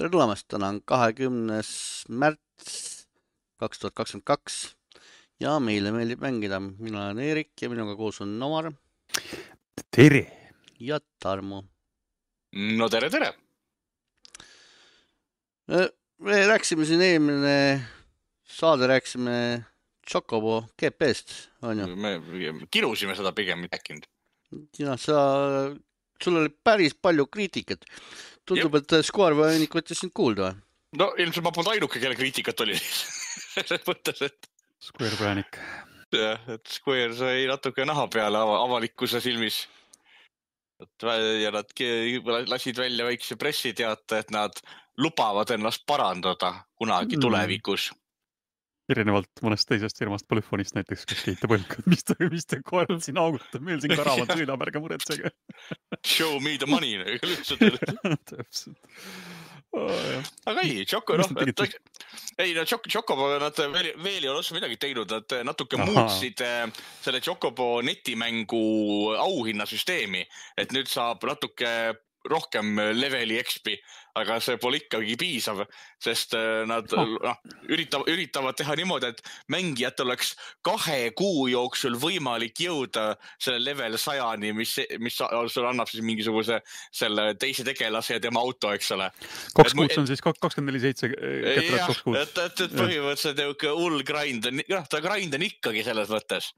Tere tulemast, täna on 20. märts 2022 ja meile meeldib mängida. Mina olen Eerik ja minuga koos on Omar Tere! ja Tarmo. No tere, tere! Me rääkisime siin eelmine saade, rääkisime Chocobo GP-st, on ju? Me kirusime seda pigem rääkinud. Ja sul oli päris palju kriitikat. Tundub, et Square Enix võttis sind kuulda või? No ilmselt ma polnud ainuke, kelle kriitikat oli selles mõttes, et Square Enix. Et Square sai natuke naha peale avalikkuse silmis. Ja nad lasid välja väikse pressiteate, et nad lubavad ennast parandada kunagi tulevikus. Erinevalt mõnest teisest firmast Polyphonist näiteks, kes kiitab õlkad, mis te koerad siin augutab, meil siin karavad sõidab, ärge muretsege. Show me the money. Täpselt. Aga ei, Chocobo nad veel ei ole osa midagi teinud, nad natuke muutsid selle Chocobo netimängu auhinnasüsteemi, et nüüd saab natuke rohkem leveli XP, aga see pole ikkagi piisav, sest nad üritavad teha niimoodi, et mängijat oleks 2 kuu jooksul võimalik jõuda selle level 100-ni, mis sul annab siis mingisuguse selle teise tegelase ja tema auto, eks ole. 2 kuud on siis 24/7 ketrat 2 kuud. Et põhimõtteliselt hull grind, ta grind on ikkagi selles mõttes.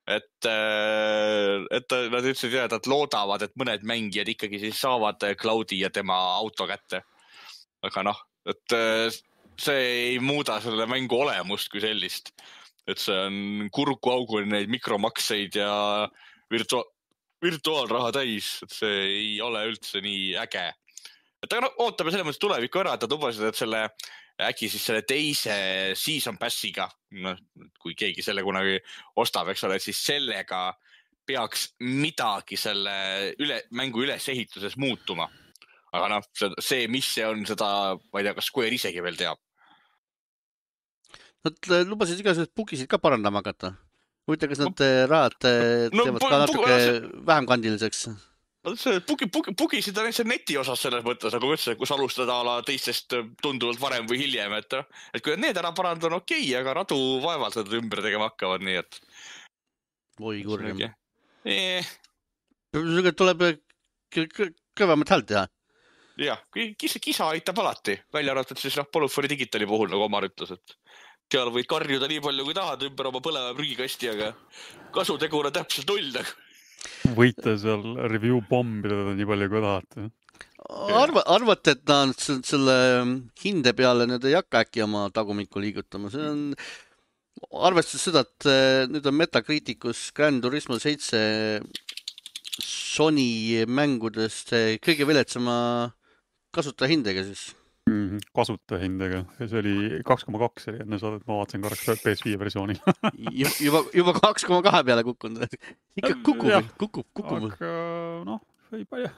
Et nad ütlesid, et nad loodavad, et mõned mängijad ikkagi siis saavad Cloudi ja tema auto kätte. Aga et see ei muuda selle mängu olemust kui sellist. Et see on kurkuaugul neid mikromakseid ja virtuaalraha täis. Et see ei ole üldse nii äge. Et aga ootame selle mõttes tulevikku ära, et nad lubasid, et äkki siis selle teise season passiga, kui keegi selle kunagi ostab, eks ole, siis sellega peaks midagi selle mängu ülesehituses muutuma. Aga see, mis see on, seda, ma ei tea, kas Square isegi veel teab. Nad lubasid igasugused bugisid ka parandama hakata. Huvitav, kas nad rahad teevad ka natuke vähem kandiliseks? Bugisid on see neti osas selles mõttes, nagu ütlesin, kus alustada teistest tunduvalt varem või hiljem, et kui need ära parandada on okei, aga radu vaevalt nad ümber tegema hakkavad, nii et oi kurjam. Tuleb kõvemat häält teha. Jah, kisa aitab alati, välja arvatud siis Polyphony Digitali puhul, nagu Omar ütles, et seal võid karjuda nii palju, kui tahad ümber oma põleva prügikasti, aga kasutegur on täpselt 0. Võite seal review bombida nii palju, kui tahate. Arvate, et nad selle hinde peale nüüd ei hakka äkki oma tagumikku liigutama. See on arvestades seda, et nüüd on Metacriticus Gran Turismo 7 Sony mängudest kõige viletsama kasutajahindega siis. Kasutajahindega. See oli 2,2 oli enne saadet, ma vaatasin korraks PS5 versiooni. juba 2,2 peale kukkunud. Ikka kukub. Aga ei palju.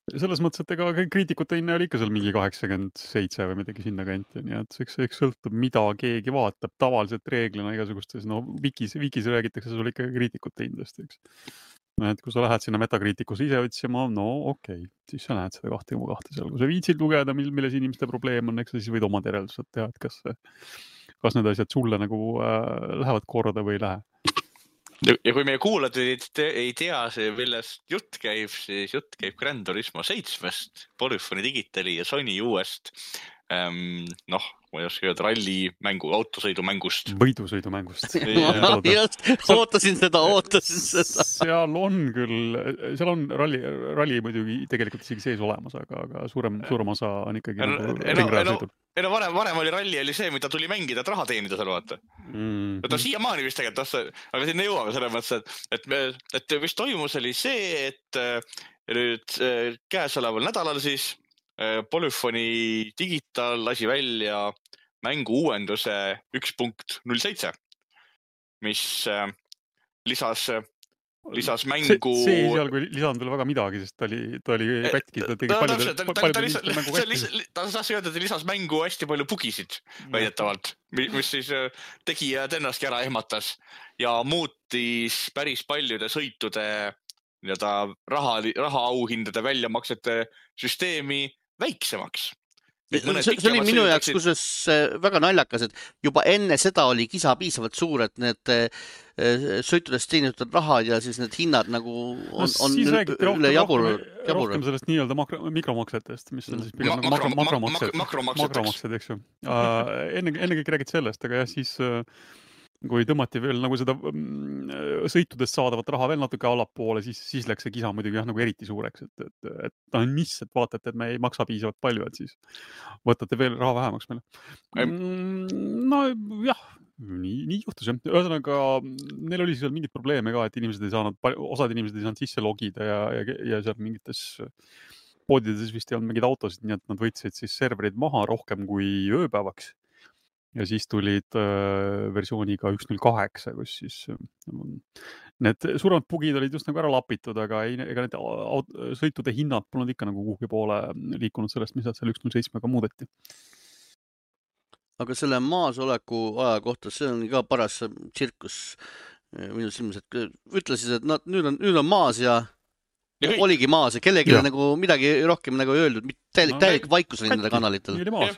Selles mõttes, et ega kriitikute hinne oli ikka seal mingi 87 või midagi sinna kanti. Nii et eks sõltub, mida keegi vaatab. Tavaliselt reeglina igasugustes, wikis räägitakse sul ikka kriitikute hindest, eks. Et kui sa lähed sinna Metacriticus ise otsima, okei, siis sa näed seda 2,2 seal. Kui sa viitsid lugeda, milles inimeste probleem on, eks siis võid oma järeldused teha, et kas need asjad sulle nagu lähevad korda või ei lähe. Ja kui meie kuulad ei tea, millest jutt käib, siis jutt käib Gran Turismo 7-st, Polyphony Digitali ja Sony uuest, ma ei oska öelda, rallimängu, autosõidumängust. Võidusõidumängust. Ootasin seda. Seal on ralli muidugi tegelikult isegi sees olemas, aga suurem osa on ikkagi ringrajasõidul. Varem oli ralli oli see, mida tuli mängida, et raha teenida seal vaata. Siiamaani vist tegelikult, aga sinna jõuame selle mõttes, et vist toimus oli see, et nüüd käesoleval nädalal siis Polyphony Digital lasi välja mängu uuenduse 1.07, mis lisas mängu... See ei seal, kui lisanud veel väga midagi, sest ta oli pätki. Ta saas öelda, et lisas mängu hästi palju bugisid väidetavalt, mis siis tegijad ennastki ära ehmatas ja muutis päris paljude sõitude raha auhindade väljamaksete süsteemi väiksemaks. See oli minu jaoks kusjuures väga naljakas, et juba enne seda oli kisa piisavalt suur, et need sõitudest teenitud rahad ja siis need hinnad nagu on üle jabur. Rohkem sellest nii-öelda mikromaksetest, mis on siis pigem makromaksed, eks ju. Enne kõik räägid sellest, aga jah, siis kui tõmmati veel nagu seda sõitudest saadavat raha veel natuke allapoole, siis läks see kisa muidugi jah, nagu eriti suureks, et mis, et vaatate, et me ei maksa piisavalt palju, et siis võtate veel raha vähemaks meile. No jah, nii juhtus jah. Ühesõnaga, neil oli seal mingid probleeme ka, et osad inimesed ei saanud sisse logida ja seal mingites poodides vist ei olnud mingid autosid, nii et nad võtsid siis serverid maha rohkem kui ööpäevaks. Ja siis tulid versiooniga 1.08, kus siis need suuremad bugid olid just nagu ära lapitud, aga ega need sõitude hinnad polnud ikka nagu kuhugi poole liikunud sellest, mis nad seal 1.07-ga muudeti. Aga selle maasoleku aja kohta, see on ka paras tsirkus minu silmas, et ütlesid, et nüüd on maas ja oligi maas ja kellegi nagu midagi rohkem nagu öeldud, täielik vaikus oli nende kanalitel. Nii oli maas.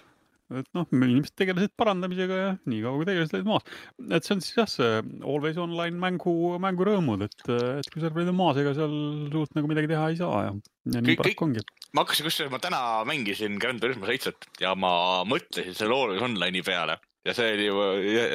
Et inimesed tegelesid parandamisega ja nii kaua kui tegelesid maas. Et see on siis jah, see Always Online mängu rõõmud, et kui serverid on maas, ega seal suurt nagu midagi teha ei saa ja nii paraku ongi. Ma täna mängisin Gran Turismo 7 ja ma mõtlesin selle Always Online'i peale ja see oli ju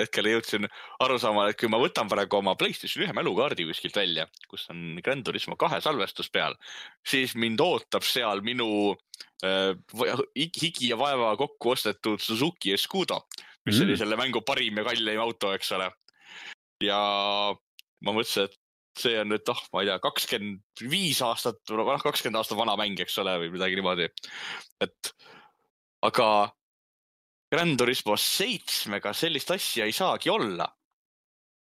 hetkel jõudsin aru saama, et kui ma võtan praegu oma PlayStation 1 mälukaardi kuskilt välja, kus on Gran Turismo 2 salvestus peal, siis mind ootab seal minu higi ja vaeva kokku ostetud Suzuki Escudo, mis oli selle mängu parim ja kallim auto, eks ole. Ja ma mõtlesin, et see on nüüd, ma ei tea, 25 aastat, 20 aastat vana mäng, eks ole, või midagi niimoodi. Aga Gran Turismo 7-ga sellist asja ei saagi olla.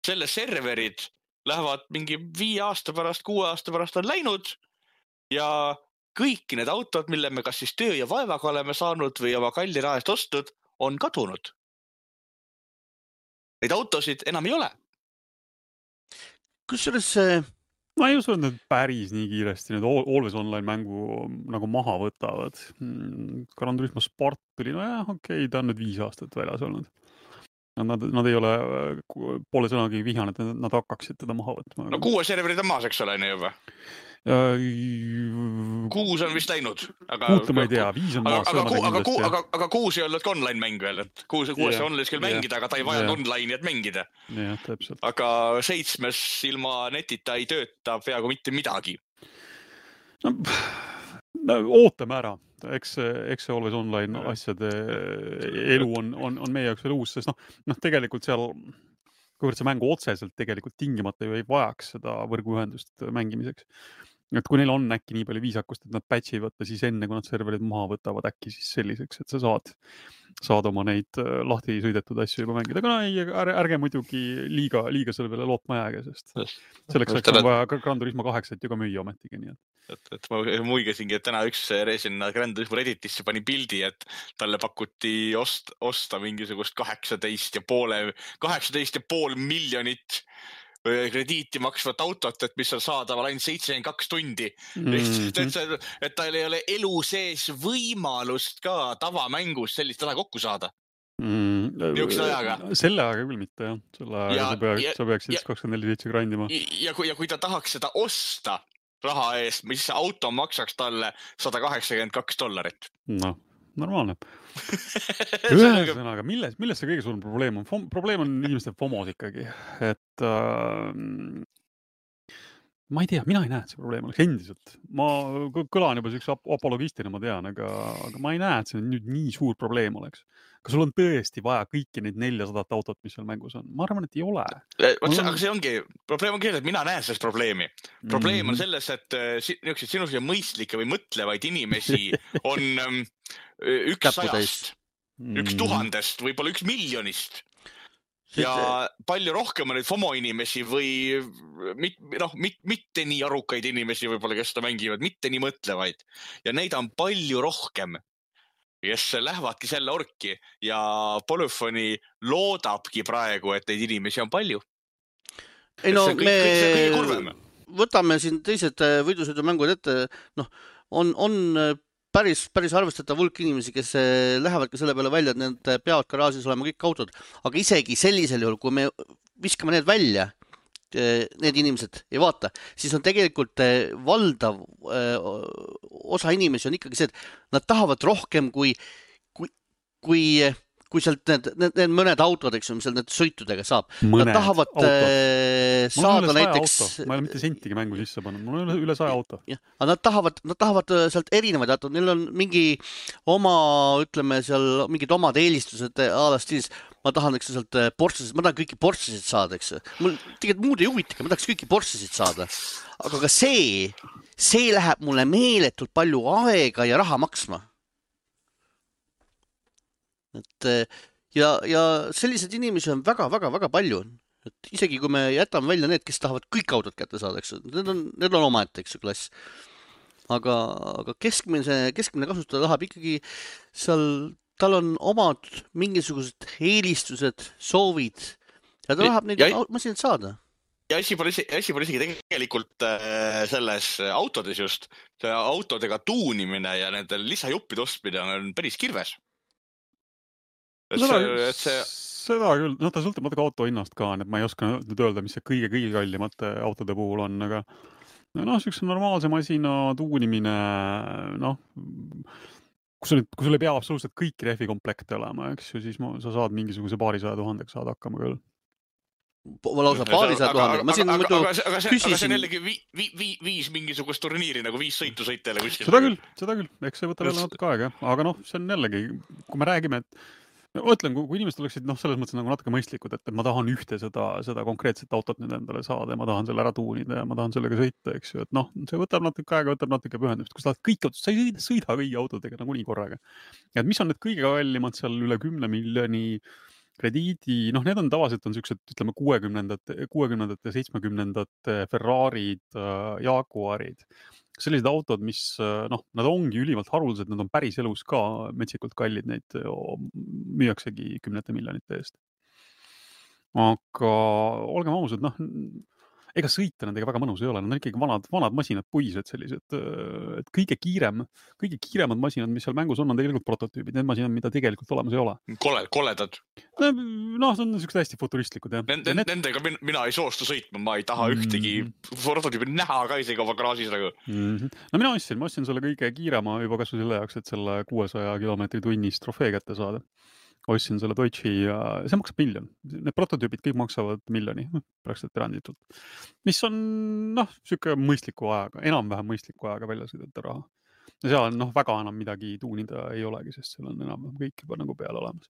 Selle serverid lähevad mingi 5 aasta pärast, 6 aasta pärast on läinud ja kõik need autod, mille me kas siis töö ja vaevaga oleme saanud või oma kalli raha eest ostud, on kadunud. Neid autosid enam ei ole. Kusjuures ma ei usu, et need päris nii kiiresti need Always Online mängu nagu maha võtavad. Gran Turismo Sport tuli, okei, ta on nüüd 5 aastat väljas olnud. Nad ei ole poole sõnagi vihane, et nad hakkaksid teda maha võtma. No 6 serverid on maas, eks ole, juba. 6 on vist läinud. 6 ma ei tea, 5 on maas. Aga 6 ei olnud ka online mäng veel, et 6 on küll mängida, aga ta ei vajanud online'i, et mängida. Jah, täpselt. Aga 7 ilma netita ei tööta peaaegu mitte midagi. Ootame ära. Eks see Always Online asjade elu on meie jaoks veel uus, sest tegelikult seal kuivõrd see mängu otseselt tegelikult tingimata ju ei vajaks seda võrguühendust mängimiseks. Et kui neil on äkki nii palju viisakust, et nad patchi ei võtta, siis enne kui nad serverid maha võtavad äkki siis selliseks, et sa saad oma neid lahti sõidetud asju juba mängida. Aga ärge muidugi liiga selle peale lootma jääge, sest selleks on vaja Gran Turismo 8 ju ka müüa ometigi. Nii et ma muigasingi, et täna üks sinna Gran Turismo Redditisse pani pildi, et talle pakuti osta mingisugust 18,5 miljonit krediiti maksvat autot, et mis on saadaval ainult 72 tundi. Et tal ei ole elu sees võimalust ka tavamängus sellist ala kokku saada. Niisuguse ajaga. Selle ajaga küll mitte, jah. Selle ajaga sa peaksid 24/7 grindima. Ja kui ta tahaks seda osta raha eest, mis auto maksaks talle $182. Normaalne. Ühesõnaga, milles see kõige suurem probleem on? Probleem on inimeste FOMOs ikkagi. Et ma ei tea, mina ei näe, et see probleem oleks endiselt. Ma kõlan juba üks apologistina, ma tean, aga ma ei näe, et see nüüd nii suur probleem oleks. Kas sul on tõesti vaja kõiki neid 400 autot, mis seal mängus on? Ma arvan, et ei ole. Aga see ongi, probleem on küll, et mina näen sellest probleemi. Probleem on selles, et sinusugune mõistlikke või mõtlevaid inimesi on 100-st, 1000-st, võib-olla 1 miljonist. Ja palju rohkem on neid FOMO inimesi või mitte nii arukaid inimesi võib-olla, kes seda mängivad, mitte nii mõtlevaid. Ja neid on palju rohkem, kes lähevadki selle orki ja Polyphony loodabki praegu, et neid inimesi on palju. Võtame siin teised võidusõidumängud ette, on päris arvestatav hulk inimesi, kes lähevad ka selle peale välja, et need peavad garaažis olema kõik autod, aga isegi sellisel juhul, kui me viskame need välja, need inimesed ei vaata, siis on tegelikult valdav osa inimesi on ikkagi see, et nad tahavad rohkem kui sealt need mõned autod, eks ju, mis seal need sõitudega saab. Nad tahavad saada näiteks... Ma ei ole mitte sentigi mängu sisse pannud, mul on üle 100 auto. Aga nad tahavad sealt erinevaid autod, neil on mingi oma, ütleme seal, mingid omad eelistused stiilis. Ma tahan, eks sealt Porschesid, ma tahan kõiki Porschesid saada, eks. Mul tegelikult muud ei huvita, ma tahaks kõiki Porschesid saada. Aga ka see läheb mulle meeletult palju aega ja raha maksma. Ja sellised inimesi on väga palju. Et isegi kui me jätame välja need, kes tahavad kõik autod kätte saada, eks, need on omaette, eks, klass. Aga keskmine kasutaja tahab ikkagi seal, tal on omad mingisugused eelistused, soovid ja ta tahab neid masinad saada. Ja asi pole isegi tegelikult selles autodes just, see autodega tuunimine ja nende lisajuppide ostmine on päris kirves. Seda küll, ta sõltub natuke auto hinnast ka, et ma ei oska nüüd öelda, mis see kõige kallimate autode puhul on, aga selline normaalse masina tuunimine, kui sul ei pea absoluutselt kõik rehvikomplekte olema, eks ju, siis sa saad mingisuguse 200 000 saad hakkama küll. Lausa 200 000. Ma siin muidu küsisin. Aga see on jällegi viis mingisugust turniiri, nagu 5 sõitu sõitele kuskil. Seda küll. Eks see võtab jälle natuke aega. Aga see on jällegi, kui me räägime, et mõtlen, kui inimesed oleksid selles mõttes nagu natuke mõistlikud, et ma tahan ühte seda konkreetset autot nüüd endale saada ja ma tahan selle ära tuunida ja ma tahan sellega sõita, eks ju, et see võtab natuke aega, võtab natuke pühendust. Kui sa tahad kõik autot, sa ei sõida kõigi autodega nagu nii korraga. Ja mis on need kõige kallimad seal üle 10 miljoni krediidi, need on tavaliselt sellised, ütleme, 60-ndate ja 70-ndate Ferrarid, Jaguarid. Sellised autod, mis, nad ongi ülimalt haruldased, nad on päris elus ka metsikult kallid, neid müüaksegi 10 miljonite eest. Aga olgem ausad, ega sõita nendega väga mõnus ei ole, nad on ikkagi vanad masinad, puised sellised, et kõige kiiremad masinad, mis seal mängus on tegelikult prototüübid, need masinad, mida tegelikult olemas ei ole. Koledad. See on niisugused hästi futuristlikud, jah. Nendega mina ei soostu sõitma, ma ei taha ühtegi prototüübi näha ka isegi oma garaažis nagu. Mina ostsin selle kõige kiirema juba kasvu selle jaoks, et selle 600 kilomeetri tunnis trofee kätte saada. Ostsin selle Deutsche ja see maksab 1 000 000. Need prototüübid kõik maksavad 1 miljoni, praktiliselt eranditult. Mis on, siuke mõistliku ajaga, enam-vähem mõistliku ajaga välja sõidata raha. Ja seal väga enam midagi tuunida ei olegi, sest seal on enam kõik juba nagu peale olemas.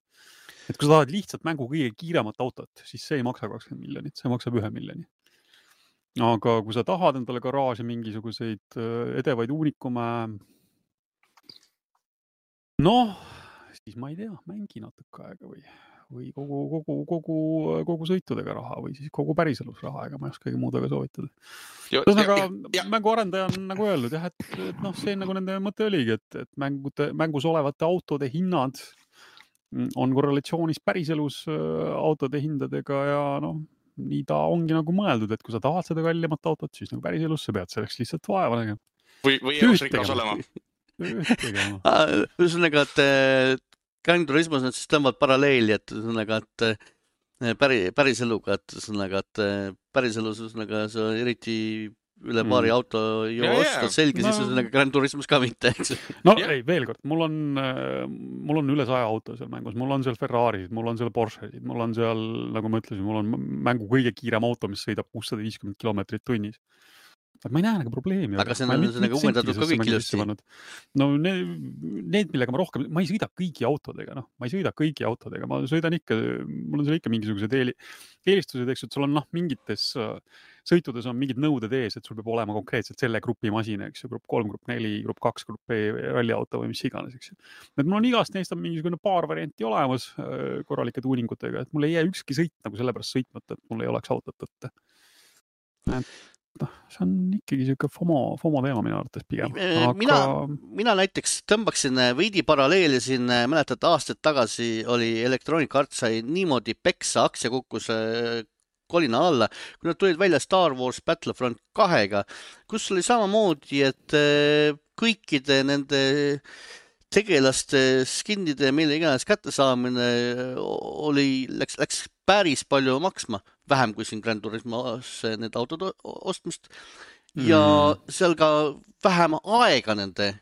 Et kui sa tahad lihtsalt mängu kõige kiiremat autot, siis see ei maksa 20 miljonit, see maksab 1 miljoni. Aga kui sa tahad endale garaaži mingisuguseid edevaid uunikume, siis ma ei tea, mängi natuke aega või kogu sõitudega raha või siis kogu päriselus raha, ega ma ei oskagi muud väga soovitada. Mänguarendaja on nagu öelnud, jah, et see nagu nende mõte oligi, et mängus olevate autode hinnad on korrelatsioonis päriselus autode hindadega ja nii ta ongi nagu mõeldud, et kui sa tahad seda kallimat autot, siis nagu päriselus sa pead selleks lihtsalt vaeva nägema. Või elus rikas olema. Ühesõnaga, et Gran Turismos nad siis tõmbavad paralleeli, et päris eluga, et päris elus see eriti üle paari auto ju ostad selge, siis Gran Turismos ka mitte, eks. Ei, veel kord, mul on üle 100 auto seal mängus, mul on seal Ferrarid, mul on seal Porscheid, mul on seal, nagu ma ütlesin, mul on mängu kõige kiirem auto, mis sõidab 650 kilomeetrit tunnis. Ma ei näe nagu probleemi. Aga see on uuendatud ka kõik ilusti. Need, millega ma rohkem, ma ei sõida kõigi autodega, ma sõidan ikka, mul on seal ikka mingisugused eelistused, eks, et sul on mingites sõitudes on mingid nõuded ees, et sul peab olema konkreetselt selle grupi masina, eks ju, grupp 3, grupp 4, grupp 2, grupp B, ralliauto või mis iganes, eks ju. Et mul on igast neist on mingisugune paar varianti olemas korralike tuuningutega, et mul ei jää ükski sõit nagu sellepärast sõitmata, et mul ei oleks autot võtta. See on ikkagi siuke FOMO teema minu arvates pigem. Mina näiteks tõmbaksin veidi paralleeli siin, mäletad, aastad tagasi oli Electronic Arts sai niimoodi peksa, aktsia kukkus kolina alla, kui nad tulid välja Star Wars Battlefront 2-ga, kus oli samamoodi, et kõikide nende tegelaste skinnide ja mille iganes kättesaamine läks päris palju maksma, vähem kui siin Gran Turismos need autod ostmist ja seal ka vähem aega nende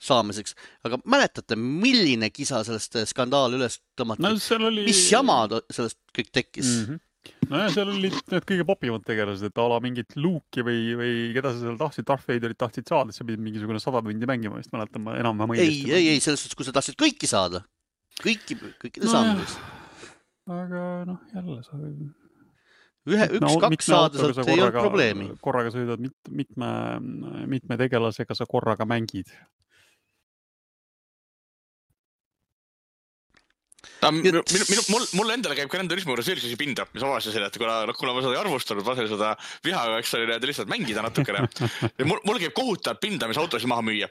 saamiseks. Aga mäletate, milline kisa sellest skandaal üles tõmmati? No, mis jama sellest kõik tekkis? No ja seal olid need kõige popimad tegelased, et ala mingit Luke'i või keda sa seal tahtsid, Darth Vaderit tahtsid saada, et sa pidid mingisugune 100 tundi mängima, vist mäletan ma enam-vähem õigesti. Ei, selles suhtes, kui sa tahtsid kõiki saada. Kõikide saamiseks. Aga jälle sa... Üks-kaks saada sealt ei olnud probleemi. Korraga sõidad mitme tegelasega sa korraga mängid. Mul endale käib Gran Turismo juures üldse pinda, mis avastasin, et kuna ma seda ei arvustanud, lasen seda vihaga, eks oli lihtsalt mängida natukene. Ja mul käib kohutav pinda, mis autosid maha müüa.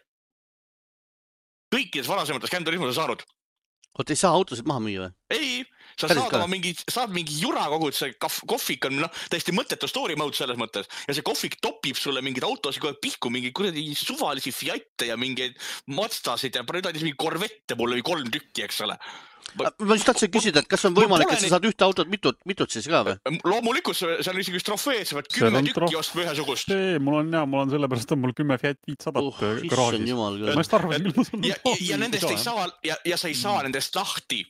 Kõikides varasemates Gran Turismo sa saanud. Oot, ei saa autosid maha müüa või? Ei, sa saad mingi jura kogud, see kohvik on täiesti mõttetu story mode selles mõttes ja see kohvik topib sulle mingid autosid kogu aeg pihku, mingi kuradi suvalisi Fiate ja mingeid Mazdasid ja mingi Corvette mulle 3 tükki, eks ole. Ma just tahtsin küsida, et kas on võimalik, et sa saad ühte autot mitut siis ka või? Loomulikult, see on isegi trofeed, sa pead 10 tükki ostma ühesugust. Mul on sellepärast, mul 10 Fiat 500 garaagis. Ja nendest ei saa, ja sa ei saa nendest lahti.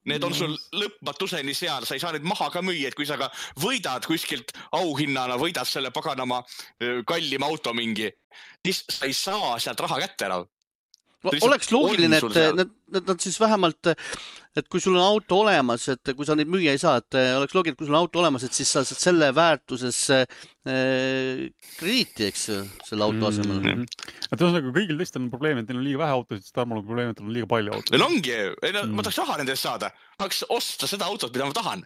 Need on sul lõpmatuseni seal, sa ei saa neid maha ka müüa, et kui sa ka võidad kuskilt auhinnana, võidad selle paganama kallima auto mingi, siis sa ei saa sealt raha kätte enam. Oleks loogiline, et nad siis vähemalt, et kui sul on auto olemas, et kui sa neid müüa ei saa, et oleks loogiline, et kui sul on auto olemas, et siis sa saad selle väärtuses krediiti, eks, selle auto asemel. Et ühesõnaga, kõigil teistel on probleem, et neil on liiga vähe autosid, siis Tarmol on probleem, et neil on liiga palju autosid. Neil ongi, ma tahaks raha nendest saada. Tahaks osta seda autot, mida ma tahan.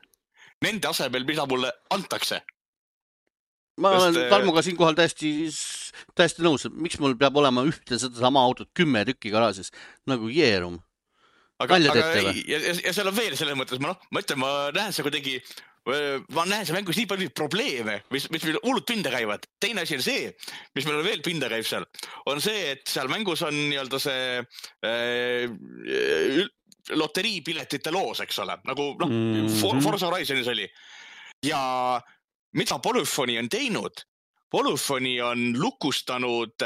Nende asemel, mida mulle antakse. Ma olen Tarmoga siinkohal täiesti nõus, et miks mul peab olema ühte seda sama autot 10 tükki garaažis, nagu jeerum. Ja seal on veel selles mõttes, ma ütlen, ma näen see kuidagi, ma näen see mängus nii palju probleeme, mis meil hullud pinda käivad. Teine asi on see, mis meil veel pinda käib seal, on see, et seal mängus on nii-öelda see loteriipiletite loos, eks ole, nagu Forza Horizonis oli. Ja mida Polyphony on teinud? Polyphony on lukustanud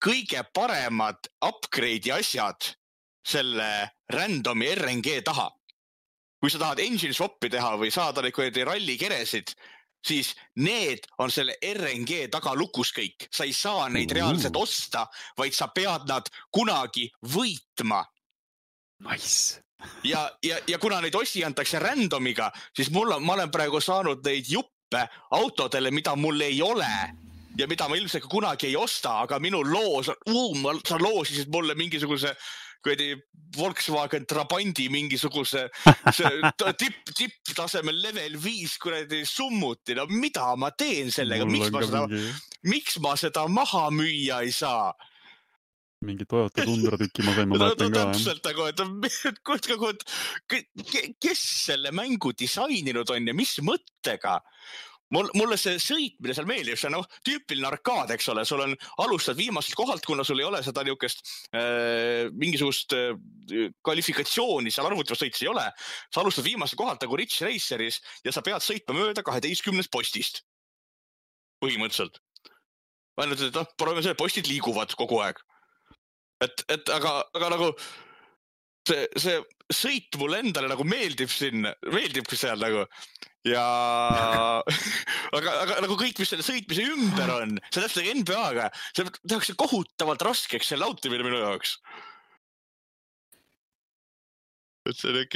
kõige paremad upgrade'i asjad selle randomi RNG taha. Kui sa tahad engine swap'i teha või saada neid rallikeresid, siis need on selle RNG taga lukus kõik. Sa ei saa neid reaalselt osta, vaid sa pead nad kunagi võitma. Nice. Ja kuna neid osi antakse randomiga, siis ma olen praegu saanud neid autodele, mida mul ei ole ja mida ma ilmselt kunagi ei osta, aga minu loos sa loosisid mulle mingisuguse Volkswagen Trabandi mingisuguse tipptasemel level 5 kuradi summuti. No mida ma teen sellega? Miks ma seda maha müüa ei saa? Mingi Toyota Tundra tükki ma sain, ma mõtlen ka. Täpselt, kes selle mängu disaininud on ja mis mõttega? Mulle see sõitmine seal meeldib, see on tüüpiline arkaad, eks ole, sul on alustad viimaselt kohalt, kuna sul ei ole seda niukest mingisugust kvalifikatsiooni, seal arvutivast sõitis ei ole, sa alustad viimaselt kohalt nagu Ridge Raceris ja sa pead sõitma mööda 12 postist. Põhimõtteliselt. Ainult, et proovime selle, postid liiguvad kogu aeg. Aga nagu see sõit mulle endale nagu meeldib seal nagu ja aga nagu kõik, mis selle sõitmise ümber on, see täpselt NBA-ga, see tehakse kohutavalt raskeks selle automine minu jaoks. Et see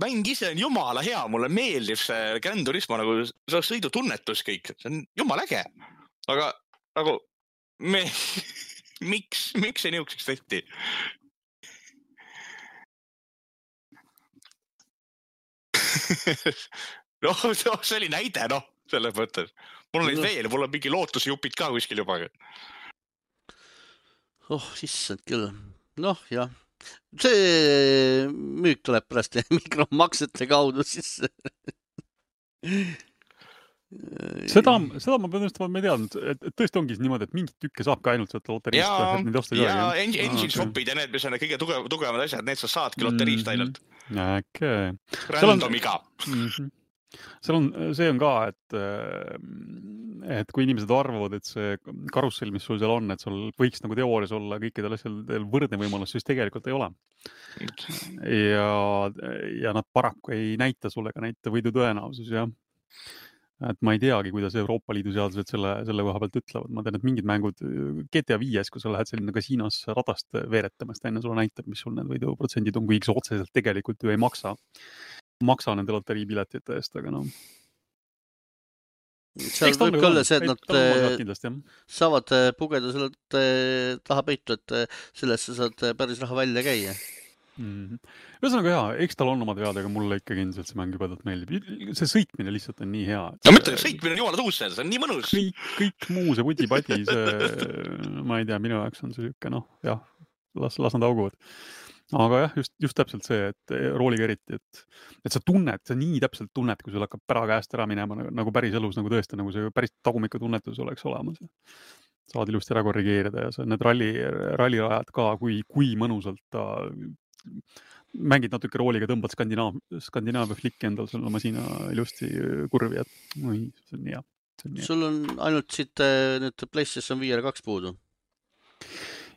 mäng ise on jumala hea, mulle meeldib see Gran Turismo nagu see sõidutunnetus kõik, see on jumala äge, aga nagu miks see niukseks tehti? See oli näide, selles mõttes. Mul on neid veel, mul on mingi lootusjupid ka kuskil juba. Issand küll. Jah. See müük tuleb pärast mikromaksete kaudu sisse. Seda ma pean ütlema, et ma ei teadnud, et tõesti ongi niimoodi, et mingit tükke saab ka ainult võtta loteriist. Ja engine shopid ja need, mis on kõige tugevamad asjad, need sa saadki loteriist ainult. Okay. Randomiga. See on ka, et kui inimesed arvavad, et see karussell, mis sul seal on, et sul võiks nagu teoorias olla kõikidel asjadel võrdne võimalus, siis tegelikult ei ole. Ja nad paraku ei näita sulle ka näita võidu tõenäosus, jah. Et ma ei teagi, kuidas Euroopa Liidu seadused selle koha pealt ütlevad. Ma tean, et mingid mängud GTA 5, kui sa lähed selline kasiinos radast veeretamast, enne sulle näitab, mis sul need võiduprotsendid on, kuigi otseselt tegelikult ju ei maksa nende loteriipiletite eest, aga noh. Seal võib ka olla see, et nad saavad pugeda selle taha peitu, et sellest sa saad päris raha välja käia. Ühesõnaga hea, eks tal on omad vead, aga mulle ikkagi ilmselt see mäng jubedalt meeldib. See sõitmine lihtsalt on nii hea. No mõtle, sõitmine on jumala tuus, see on nii mõnus. Kõik muu, see pudi-padi, ma ei tea, minu jaoks on see siuke, noh, jah, las nad auguvad. Aga jah, just täpselt see, et rooliga eriti, et sa tunned, sa nii täpselt tunned, kui sul hakkab pära käest ära minema nagu päris elus, nagu tõesti, nagu see päris tagumika tunnetus oleks olemas. Saad ilusti ära korrigeerida ja sa need rallirajad ka, kui mõnusalt ta mängid natuke rooliga, tõmbad Skandinaavia flikki endal sul masina ilusti kurvi, et see on nii hea. Sul on ainult siit nüüd PlayStation VR 2 puudu?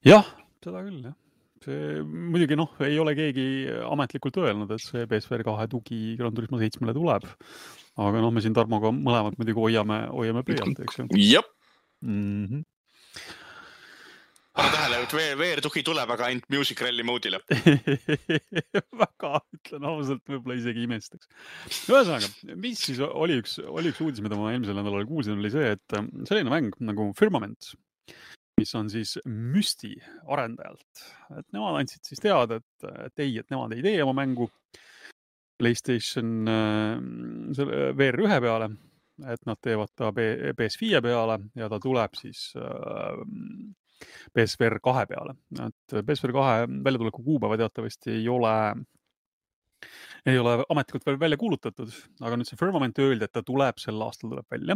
Jah, seda küll, jah. See muidugi ei ole keegi ametlikult öelnud, et see PSVR 2 tugi Gran Turismo 7-le tuleb. Aga me siin Tarmoga mõlemad muidugi hoiame pöialt, eks ju. Jep. Pane tähele, et VR-tugi tuleb, aga ainult Music Rally moodile. Väga, ütlen ausalt, võib-olla isegi imestaks. Ühesõnaga, mis siis oli üks uudis, mida ma eelmisel nädalal kuulsin, oli see, et selline mäng nagu Firmament, mis on siis Mysti arendajalt. Et nemad andsid siis teada, et nemad ei tee oma mängu PlayStation VR1 peale, et nad teevad ta PS5 peale ja ta tuleb siis PSVR 2 peale. Et PSVR 2 väljatuleku kuupäeva teatavasti ei ole ametlikult veel välja kuulutatud, aga nüüd see Firmament öeldi, et ta tuleb sel aastal välja,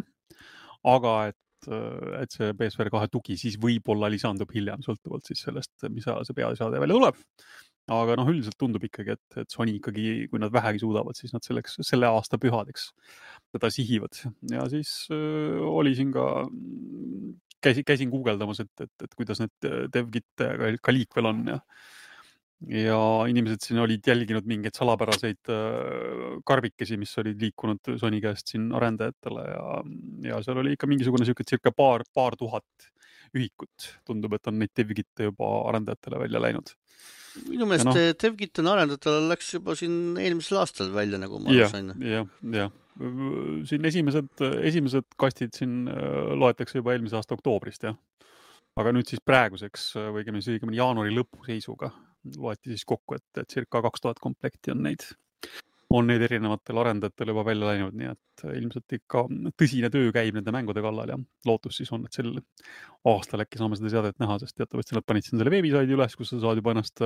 aga et see PSVR 2 tugi siis võib-olla lisandub hiljem, sõltuvalt siis sellest, mis see peasaade välja tuleb. Aga üldiselt tundub ikkagi, et Sony ikkagi, kui nad vähegi suudavad, siis nad selle aasta pühadeks teda sihivad. Ja siis oli siin ka käisin guugeldamas, et kuidas need DevGit ka liikvel on ja inimesed siin olid jälginud mingeid salapäraseid karbikesi, mis olid liikunud Sony käest siin arendajatele ja seal oli ikka mingisugune circa paar tuhat ühikut. Tundub, et on neid DevGit juba arendajatele välja läinud. Minu meelest DevGit on arendajatele läks juba siin eelmisel aastal välja, nagu ma sain. Jah. Siin esimesed kastid siin loetakse juba eelmise aasta oktoobrist, jah. Aga nüüd siis praeguseks või õigemini jaanuari lõpu seisuga loeti siis kokku, et circa 2000 komplekti on neid erinevatel arendajatel juba välja läinud, nii et ilmselt ikka tõsine töö käib nende mängude kallal ja lootus siis on, et sel aastal äkki saame seda seadet näha, sest teatavasti nad panid siin selle veebisaidi üles, kus sa saad juba ennast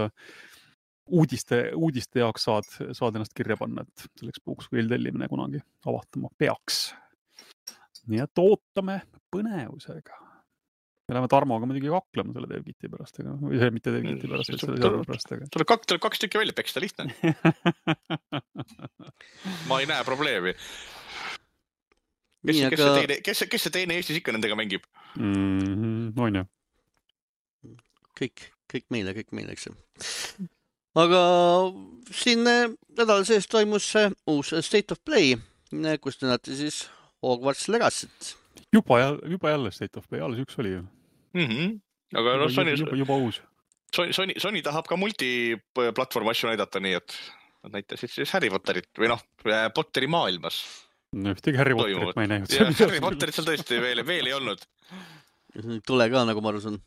uudiste jaoks saad ennast kirja panna, et selleks puhuks kui eeltellimine kunagi avahtama peaks. Nii et ootame põnevusega. Me läheme Tarmoga muidugi kaklema selle DevGiti pärast, või see mitte DevGiti pärast, et selle seadme pärast. Tuleb kaks tükki välja peksta, lihtne. Ma ei näe probleemi. Kes see teine Eestis ikka nendega mängib? On ju. Kõik meile, eks ju. Aga siin nädal sees toimus uus State of Play, kus näete siis Hogwarts Legacy't. Juba jälle State of Play, alles üks oli ju. Aga juba uus. Sony tahab ka multiplatvorm asju näidata, nii et nad näitasid siis Harry Potterit või Potteri maailmas. No ühtegi Harry Potterit ma ei näinud. Harry Potterit seal tõesti veel ei olnud. Tule ka, nagu ma aru saan.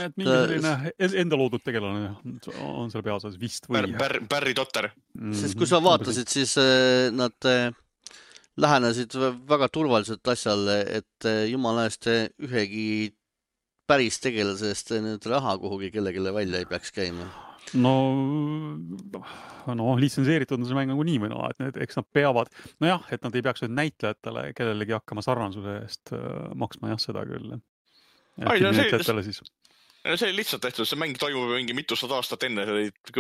Et mingi selline enda loodud tegelane on seal peasas vist või... Barry Potter. Sest kui sa vaatasid, siis nad lähenesid väga turvaliselt asjale, et jumala eest ühegi päris tegelasest nüüd raha kuhugi kellegile välja ei peaks käima. litsenseeritud on see mäng nagu nii või naa, et eks nad peavad, nojah, et nad ei peaks nüüd näitlejatele kellelegi hakkama sarnasuse eest maksma jah, seda küll. Näitlejatele siis. See lihtsalt tehtud, see mäng toimub mingi mitusada aastat enne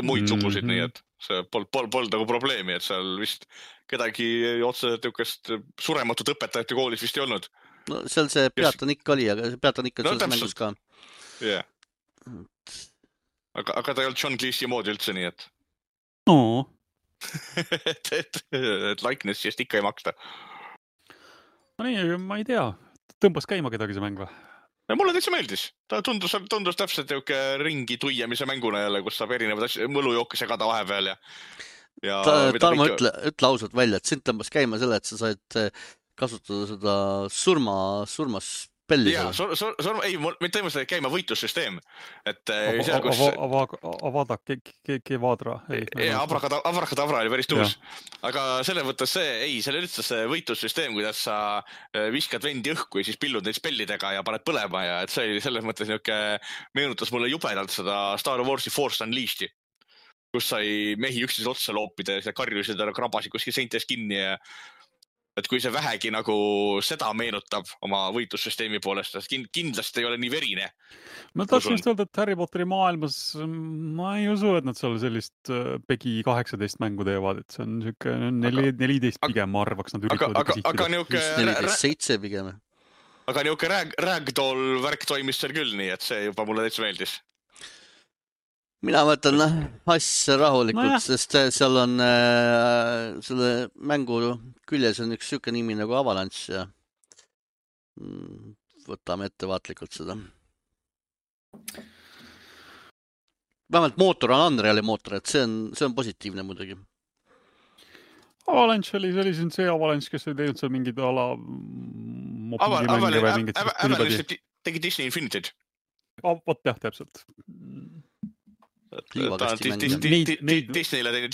muid sugusid, nii et see polnud nagu probleemi, et seal vist kedagi otseselt niukest surematut õpetajate koolis vist ei olnud. No seal see peatanikk oli, aga see peatanikk on selles mängus ka. Jah. Aga ta ei olnud John Cleese moodi üldse, nii et... et likeness just ikka ei maksta. No nii, ma ei tea. Tõmbas käima kedagi see mäng või? Mulle täitsa meeldis. Ta tundus täpselt ringi tuiemise mänguna jälle, kus saab erinevad asju, mõlujooke segada vahepeal ja Tarmo, ütle ausalt välja, et sind tõmbas käima selle, et sa said kasutada seda surmaspelli. Jaa, ei, mind tõmbas käima võitlussüsteem. Avada Kevadra. Abrakadabra oli päris tuus. Aga selle võttes selle üldse see võitlussüsteem, kuidas sa viskad vendi õhku ja siis pillud neid spellidega ja paned põlema ja et see oli selles mõttes meenutas mulle jubedalt seda Star Warsi Force Unleashed'i, kus sai mehi üksteise otsa loopida ja karjusid ja krabasid kuskil seintes kinni ja et kui see vähegi nagu seda meenutab oma võitlussüsteemi poolest, kindlasti ei ole nii verine. Ma tahtsin just öelda, et Harry Potteri maailmas ma ei usu, et nad seal sellist PEGI 18 mängu teevad, et see on siuke 14 pigem, ma arvaks, nad üritavad aga 14-7 pigem. Aga niuke ragdoll värk toimis seal küll, nii et see juba mulle täitsa meeldis. Mina võtan asja rahulikult, sest seal on selle mängu küljes on üks siuke nimi nagu Avalanche ja võtame ettevaatlikult seda. Vähemalt mootor on Unreali mootor, et see on positiivne muidugi. Avalanche oli see Avalanche, kes oli teinud seal mingid ala mobiilimänge või mingid... Avalanche tegi Disney Infinity'd. Vot jah, täpselt. Disneyle teinud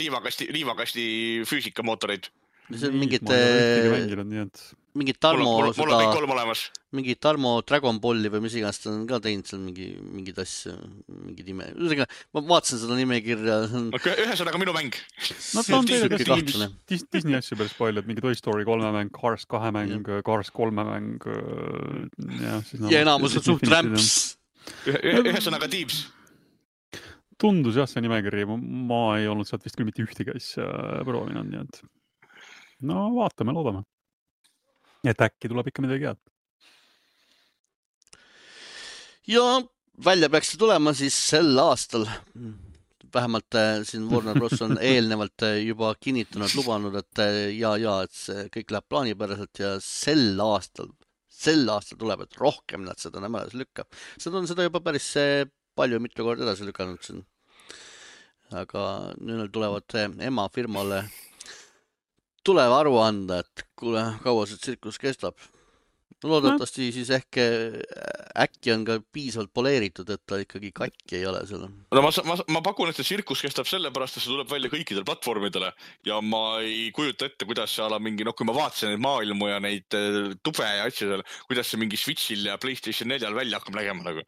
liivakasti füüsikamootoreid. See on mingid Tarmo Dragon Balli või mis iganes ta on ka teinud seal mingid asju, mingid ime. Ma vaatasin seda nimekirja. Ühesõnaga minu mäng. No ta on teile Disney asju päris palju, et mingi Toy Story 3 mäng, Cars 2 mäng, Cars 3 mäng. Ja enamus on suht rämps. Ühesõnaga Tiibs. Tundus jah see nimekiri, ma ei olnud sealt vist küll mitte ühtegi asja proovinud, nii et no vaatame, loodame. Et äkki tuleb ikka midagi head. Ja välja peaks tulema siis sel aastal. Vähemalt siin Warner Bros. On eelnevalt juba kinnitanud, lubanud, et et see kõik läheb plaanipäraselt ja sel aastal tuleb, et rohkem nad seda nemad lükkab. Seda on juba päris palju mitu korda edasi lükanud siin. Aga nüüd tulevad emafirmale tuleb aru anda, et kuule, kaua see tsirkus kestab. Loodetavasti siis äkki on ka piisavalt poleeritud, et ta ikkagi katki ei ole selle. No ma pakun, et see tsirkus kestab sellepärast, et see tuleb välja kõikidel platvormidele ja ma ei kujuta ette, kuidas see ala mingi, kui ma vaatasin neid maailmu ja neid tube ja asju seal, kuidas see mingi Switchil ja PlayStation 4 välja hakkab nägema nagu.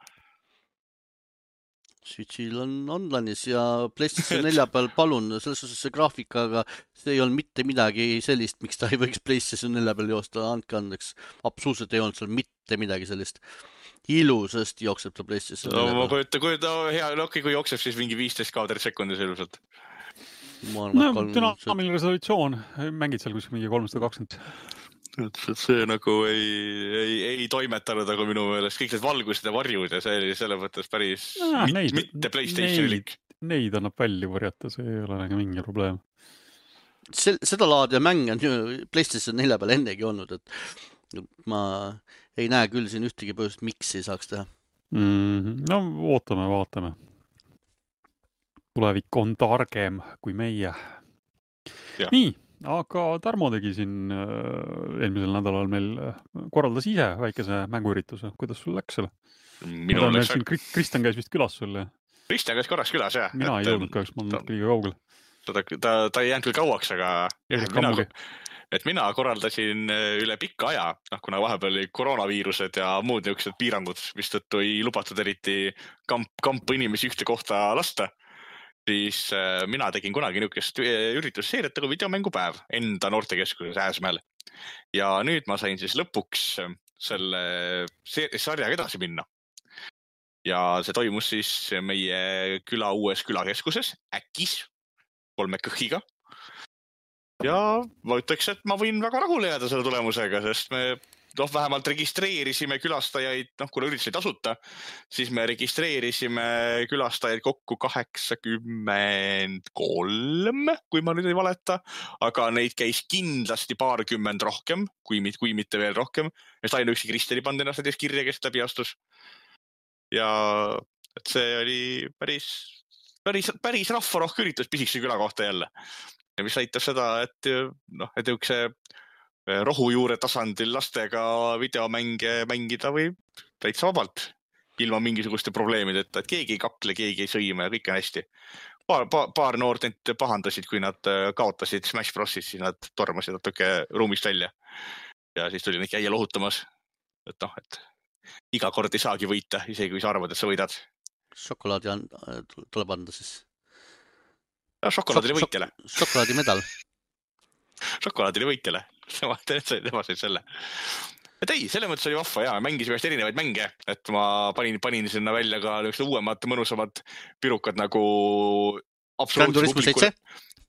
Switchil on online'is ja PlayStation 4 peal palun, selles suhtes see graafikaga, see ei olnud mitte midagi sellist, miks ta ei võiks PlayStation 4 peal joosta, andke andeks. Absoluutselt ei olnud seal mitte midagi sellist. Ilusasti jookseb ta PlayStation 4 peal. Kujuta, hea, kui jookseb siis mingi 15 kaadrit sekundis ilusalt. Dünaamiline resolutsioon, mängid seal kus mingi 320. See nagu ei toimetanud nagu minu meelest kõik need valgused ja varjud ja see oli selle mõttes päris mitte PlayStation'ilik. Neid annab välja varjata, see ei ole nagu mingi probleem. Seda laadi mäng on ju PlayStation 4 peal ennegi olnud, et ma ei näe küll siin ühtegi põhjust, miks ei saaks teha. No vaatame. Tulevik on targem kui meie. Ja. Nii. Aga Tarmo tegi siin eelmisel nädalal meil korraldas ise väikese mänguürituse. Kuidas sul läks selle? Minul läks... Kristjan käis vist külas sul. Kristjan käis korraks külas, jah. Mina ei jõudnud kahjuks, ma olen liiga kaugel. Ta ei jäänud küll kauaks, aga mina korraldasin üle pikka aja, kuna vahepeal oli koroonaviirused ja muud niisugused piirangud, mistõttu ei lubatud eriti kampa inimesi ühte kohta lasta. siis mina tegin kunagi niisugust üritusseeriat nagu videomängupäev enda noortekeskuses Ääsmäel. Ja nüüd ma sain siis lõpuks selle sarjaga edasi minna. Ja see toimus siis meie küla uues külakeskuses, Äkis, 3 kõhiga. Ja ma ütleks, et ma võin väga rahule jääda selle tulemusega, sest me vähemalt registreerisime külastajaid, kuna üritus oli tasuta, siis me registreerisime külastajaid kokku 83, kui ma nüüd ei valeta, aga neid käis kindlasti paarkümmend rohkem, kui mitte veel rohkem. Sest ainuüksi Kristeli pandi ennast näiteks kirja, kes läbi astus. Ja et see oli päris rahvarohke üritus pisikese küla kohta jälle. Ja mis näitab seda, et üks rohujuure tasandil lastega videomänge mängida või täitsa vabalt ilma mingisuguste probleemideta, et keegi ei kakle, keegi ei sõime ja kõik on hästi. Paar noort neid pahandasid, kui nad kaotasid Smash Brosis, siis nad tormasid natuke ruumist välja. Ja siis tuli neid käia lohutamas. Et iga kord ei saagi võita, isegi kui sa arvad, et sa võidad. Šokolaadi tuleb anda siis. Šokolaadile võitjale. Šokolaadi medal. Šokolaadile võitjale. Tema said selle. Et ei, selle mõttes oli vahva ja mängisime erinevaid mänge, et ma panin sinna välja ka uuemad, mõnusamad pirukad nagu Gran Turismo 7?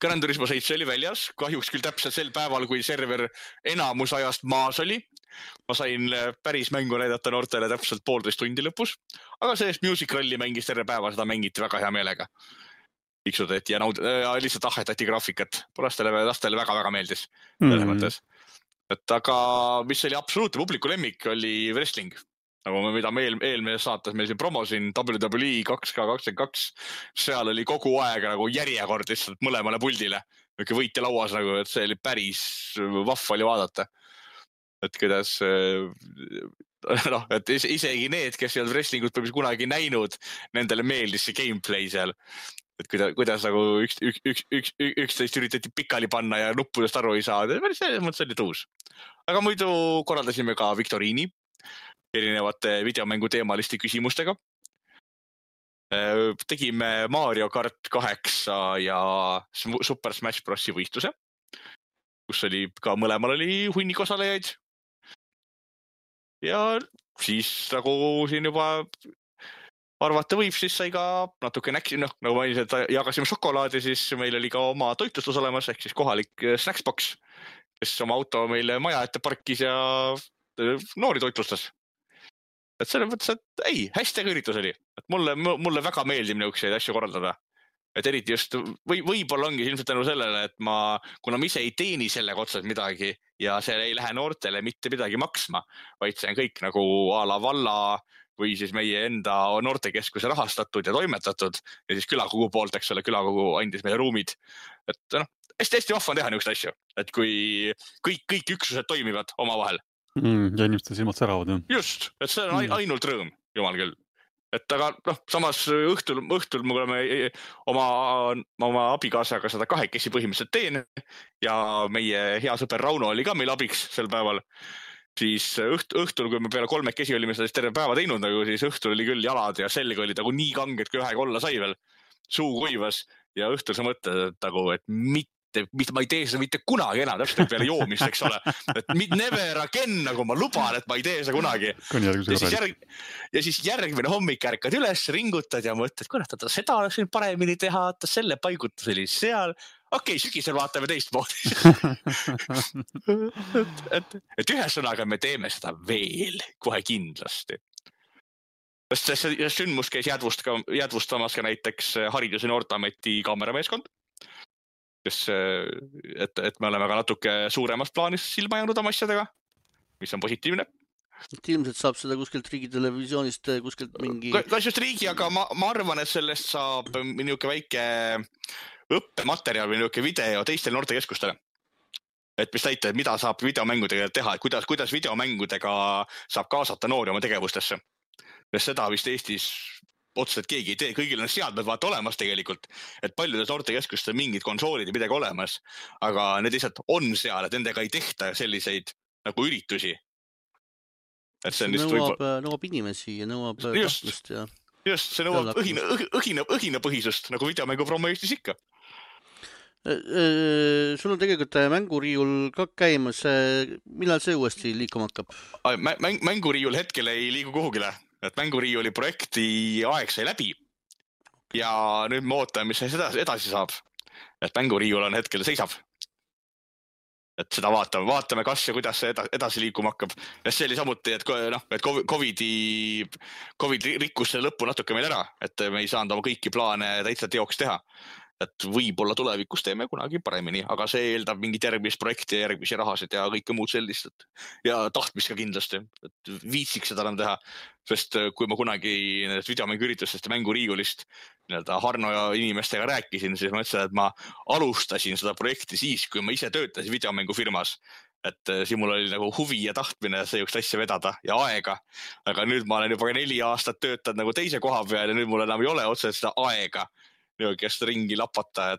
Gran Turismo 7 oli väljas, kahjuks küll täpselt sel päeval, kui server enamus ajast maas oli. Ma sain päris mängu näidata noortele täpselt 1,5 tundi lõpus, aga sellest Music Rally mängis terve päeva, seda mängiti väga hea meelega. Iksudeti ja lihtsalt ahetati graafikat. Lastele väga meeldis. Selles mõttes. Aga mis oli absoluutne publiku lemmik, oli wrestling. Mida me eelmises saates meil siin promosin WWE 2K22. Seal oli kogu aeg järjekord lihtsalt mõlemale puldile. Võitja lauas, et see oli päris vahva oli vaadata. Et kuidas... et isegi need, kes ei olnud wrestlingut kunagi näinud, nendele meeldis see gameplay seal. Et kuidas üksteist üritati pikali panna ja nuppudest aru ei saa. Selles mõttes oli tuus. Aga muidu korraldasime ka viktoriini erinevate videomängu teemaliste küsimustega. Tegime Mario Kart 8 ja Super Smash Brosi võistluse, kus oli ka mõlemal oli hunnik osalejaid. Ja siis siin juba arvata võib, siis sai ka natuke nagu ma ilmselt jagasime šokolaadi, siis meil oli ka oma toitlustus olemas, ehk siis kohalik Snacksbox, kes oma auto meile maja ette parkis ja noori toitlustas. Et selles mõttes, et ei, hästi üritus oli. Et mulle väga meeldib niisuguseid asju korraldada. Et eriti just, võib-olla ongi ilmselt tänu sellele, et kuna ma ise ei teeni sellega otseselt midagi ja see ei lähe noortele mitte midagi maksma, vaid see on kõik nagu a la valla või siis meie enda noortekeskuse rahastatud ja toimetatud ja siis külakogu poolt, eks ole, külakogu andis meile ruumid. Et hästi vahva on teha niisugust asju, et kui kõik üksused toimivad omavahel. Ja inimeste silmad säravad. Just, et see on ainult rõõm, jumal küll. Et aga samas õhtul me oleme oma abikaasaga seda 2 põhimõtteliselt teen ja meie hea sõber Rauno oli ka meil abiks sel päeval. Siis õhtul, kui me peale 3 olime seda terve päeva teinud, siis õhtul oli küll jalad ja selg oli nii kanged, kui ühega olla sai veel. Suu kuivas ja õhtul sa mõtled, et ma ei tee seda mitte kunagi enam, täpselt peale joomist, eks ole. Et never again, nagu ma luban, et ma ei tee seda kunagi. Ja siis järgmine hommik ärkad üles, ringutad ja mõtled, kurat, seda oleks paremini teha, selle paigutus oli seal. Okei, sügisel vaatame teistmoodi. et ühesõnaga me teeme seda veel kohe kindlasti. See sündmus käis jäädvustamas ka näiteks Haridus- ja Noorteameti kaamerameeskond. Et me oleme ka natuke suuremas plaanis silma jäänud oma asjadega, mis on positiivne. Ilmselt saab seda kuskilt riigitelevisioonist, kuskilt mingi... Kas just riigi, aga ma arvan, et sellest saab niuke väike õppematerjal või niuke video teistele noortekeskustele. Et mis näitab, mida saab videomängudega teha, et kuidas videomängudega saab kaasata noori oma tegevustesse. Sest seda vist Eestis otseselt keegi ei tee, kõigil on seadmed vaata olemas tegelikult, et paljudes noortekeskustel mingid konsoolid ja midagi olemas, aga need lihtsalt on seal, et nendega ei tehta selliseid nagu üritusi. Et see nõuab inimesi ja nõuab tahtlust ja... Just, see nõuab õhinapõhisust, nagu videomängu promo Eestis ikka. Sul on tegelikult mänguriiul ka käimas. Millal see uuesti liikuma hakkab? Mänguriiul hetkel ei liigu kuhugile. Et mänguriiuli projekti aeg sai läbi. Ja nüüd me ootame, mis edasi saab. Et mänguriiul on hetkel seisab. Et seda vaatame kas ja kuidas see edasi liikuma hakkab. Ja see oli samuti, et Covid rikkus selle lõppu natuke meil ära, et me ei saanud oma kõiki plaane täitsa teoks teha. Et võib-olla tulevikus teeme kunagi paremini, aga see eeldab mingit järgmist projekti ja järgmisi rahasid ja kõike muud sellist. Ja tahtmist ka kindlasti, et viitsiks seda enam teha. Sest kui ma kunagi videomänguüritustest ja mänguriiulist Harno ja inimestega rääkisin, siis ma ütlesin, et ma alustasin seda projekti siis, kui ma ise töötasin videomängufirmas. Et siin mul oli nagu huvi ja tahtmine seejuks asja vedada ja aega. Aga nüüd ma olen juba 4 aastat töötanud nagu teise koha peal ja nüüd mul enam ei ole otseselt seda aega. Kes ringi lapata,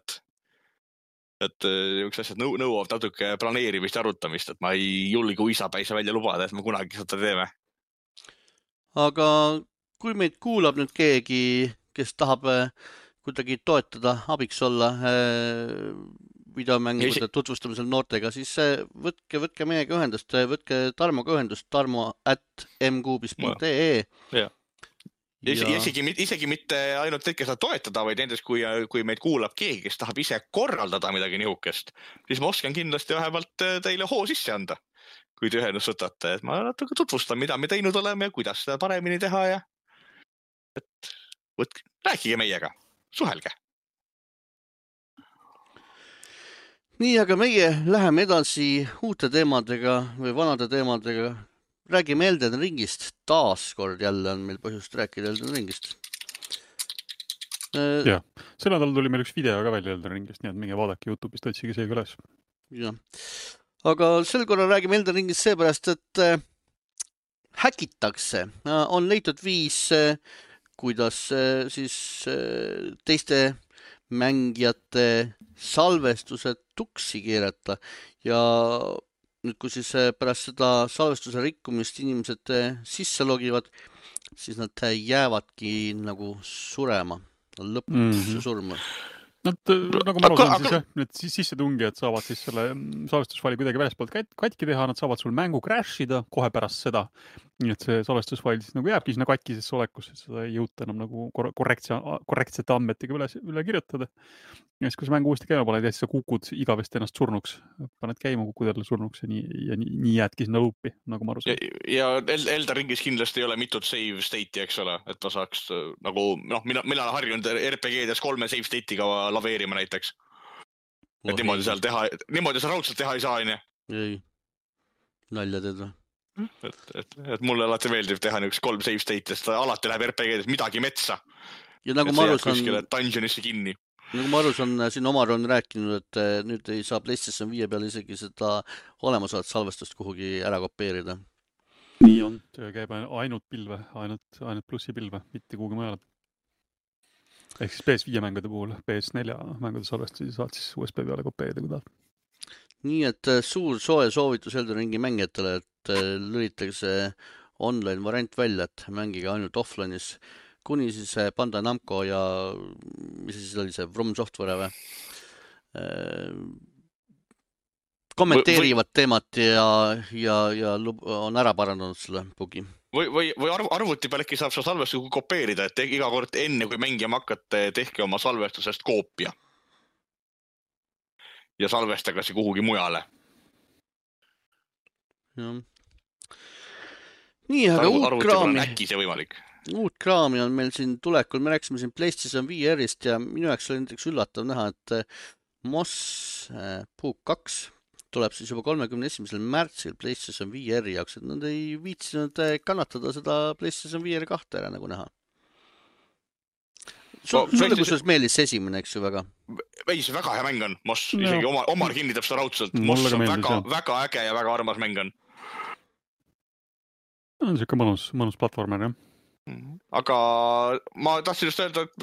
et üks asjad nõuavad natuke planeerimist ja arutamist, et ma ei julge uisapäise välja lubada, et me kunagi seda teeme. Aga kui meid kuulab nüüd keegi, kes tahab kuidagi toetada, abiks olla videomängude tutvustamisel noortega, siis võtke meiega ühendust, võtke Tarmoga ühendust, tarmo@mkuubis.ee. Ja isegi mitte ainult need, kes saab toetada, vaid näiteks kui meid kuulab keegi, kes tahab ise korraldada midagi nihukest, siis ma oskan kindlasti vähemalt teile hoo sisse anda, kui te ühendust võtate. Et ma natuke tutvustan, mida me teinud oleme ja kuidas seda paremini teha ja rääkige meiega, suhelge. Nii, aga meie läheme edasi uute teemadega või vanade teemadega. Räägime Elden Ringist. Taaskord jälle on meil põhjust rääkida Elden Ringist. Jah, sel nädal tuli meil üks video ka välja Elden Ringist, nii et minge vaadake YouTube'ist, otsige see üles. Ja. Aga sel korral räägime Elden Ringist seepärast, et häkitakse. On leitud viis, kuidas siis teiste mängijate salvestused tuksi keerata ja nüüd, kui siis pärast seda salvestuse rikkumist inimesed sisse logivad, siis nad jäävadki nagu surema, lõpuks surma. Nagu ma aru saan, siis jah, need sissetungijad saavad siis selle salvestusfaili kuidagi väljaspoolt katki teha, nad saavad sul mängu crashida kohe pärast seda. Nii et see salvestusfail siis nagu jääbki sinna katkisesse olekusse, seda ei jõuta enam nagu korrektsete andmetega üle kirjutada. Ja siis, kui sa mängu uuesti käima paned, siis sa kukud igavesti ennast surnuks. Paned käima, kukud jälle surnuks ja nii jäädki sinna luupi, nagu ma aru saan. Ja Elden Ringis kindlasti ei ole mitut save state'i, eks ole, et ma saaks nagu, mina olen harjunud RPG-des 3 save state'iga laveerima näiteks. Et niimoodi seal teha, niimoodi sa raudselt teha ei saa, aine. Ei, nalja teed või? Et mulle alati meeldib teha niisugust 3 save state'ist, alati läheb RPG-des midagi metsa. Ja nagu ma aru saan, dungeonisse kinni. Nagu ma aru saan, siin Omar on rääkinud, et nüüd ei saa PlayStation 5 peal isegi seda olemasolevat salvestust kuhugi ära kopeerida. Nii on, töö käib ainult pilve, ainult plussipilve, mitte kuhugi mujale. Ehk siis PS5 mängude puhul, PS4 mängude salvestusi saad siis USB peale kopeerida, kui tahad. Nii, et suur soe soovitus Elden Ringi mängijatele, et lülitage see online variant välja, et mängige ainult offline'is, kuni siis Bandai Namco ja mis siis oli see From Software või? Kommenteerivad teemat ja on ära parandanud selle bugi. Või arvuti peal äkki saab seda salvestust kopeerida, et iga kord enne, kui mängima hakkate, tehke oma salvestusest koopia. Ja salvestage see kuhugi mujale. Ja. Nii, aga uut kraami on meil siin tulekul. Me rääkisime siin PlayStation VR-ist ja minu jaoks oli näiteks üllatav näha, et Moss Puuk 2 tuleb siis juba 31. märtsil PlayStation VR-i jaoks, et nad ei viitsinud kannatada seda PlayStation VR 2 ära nagu näha. Sulle kusjuures meeldis esimene, eks ju, väga? Ei, see väga hea mäng on, Moss, isegi Omar kinnitab seda raudselt. Moss on väga äge ja väga armas mäng on. On siuke mõnus platvormer, jah. Aga ma tahtsin just öelda, et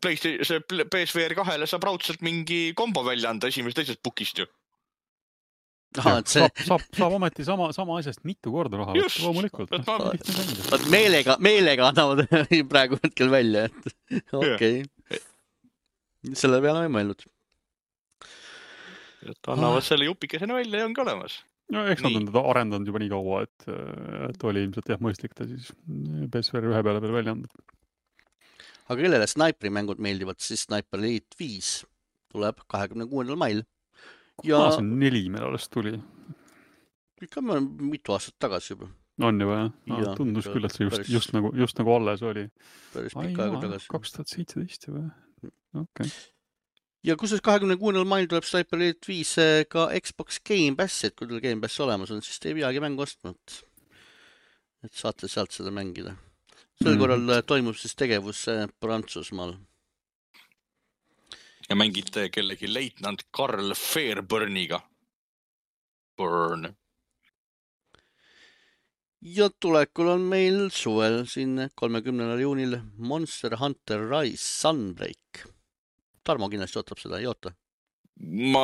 PSVR 2-le saab raudselt mingi kombo välja anda esimesest teisest bukist ju. Saab ometi sama asjast mitu korda raha võtta, loomulikult. Meelega annavad praegu hetkel välja, et okei. Selle peale ei mõelnud. Et annavad selle jupikesena välja ja ongi olemas. No, eks nad on teda arendanud juba nii kaua, et oli ilmselt mõistlik ta siis PSVR 1 peale välja anda. Aga kellele Sniperi mängud meeldivad, siis Sniper Elite 5 tuleb 26. mail. See on 4 meil alles tuli. Ikka mitu aastat tagasi juba. On juba, jah? Tundus küll, et see just nagu alles oli. Päris pikka aega tagasi. 2017 juba. Okay. Ja kusjuures 26. mail tuleb Sniper Elite 5 ka Xbox Game Pass, et kui teil Game Pass olemas on, siis te ei peagi mängu ostnud. Et saate sealt seda mängida. Sel korral toimub siis tegevus Prantsusmaal. Ja mängite kellegi leitnant Karl Fairburniga. Burn. Ja tulekul on meil suvel siin 30. juunil Monster Hunter Rise Sunbreak. Tarmo kindlasti ootab seda, ei oota? Ma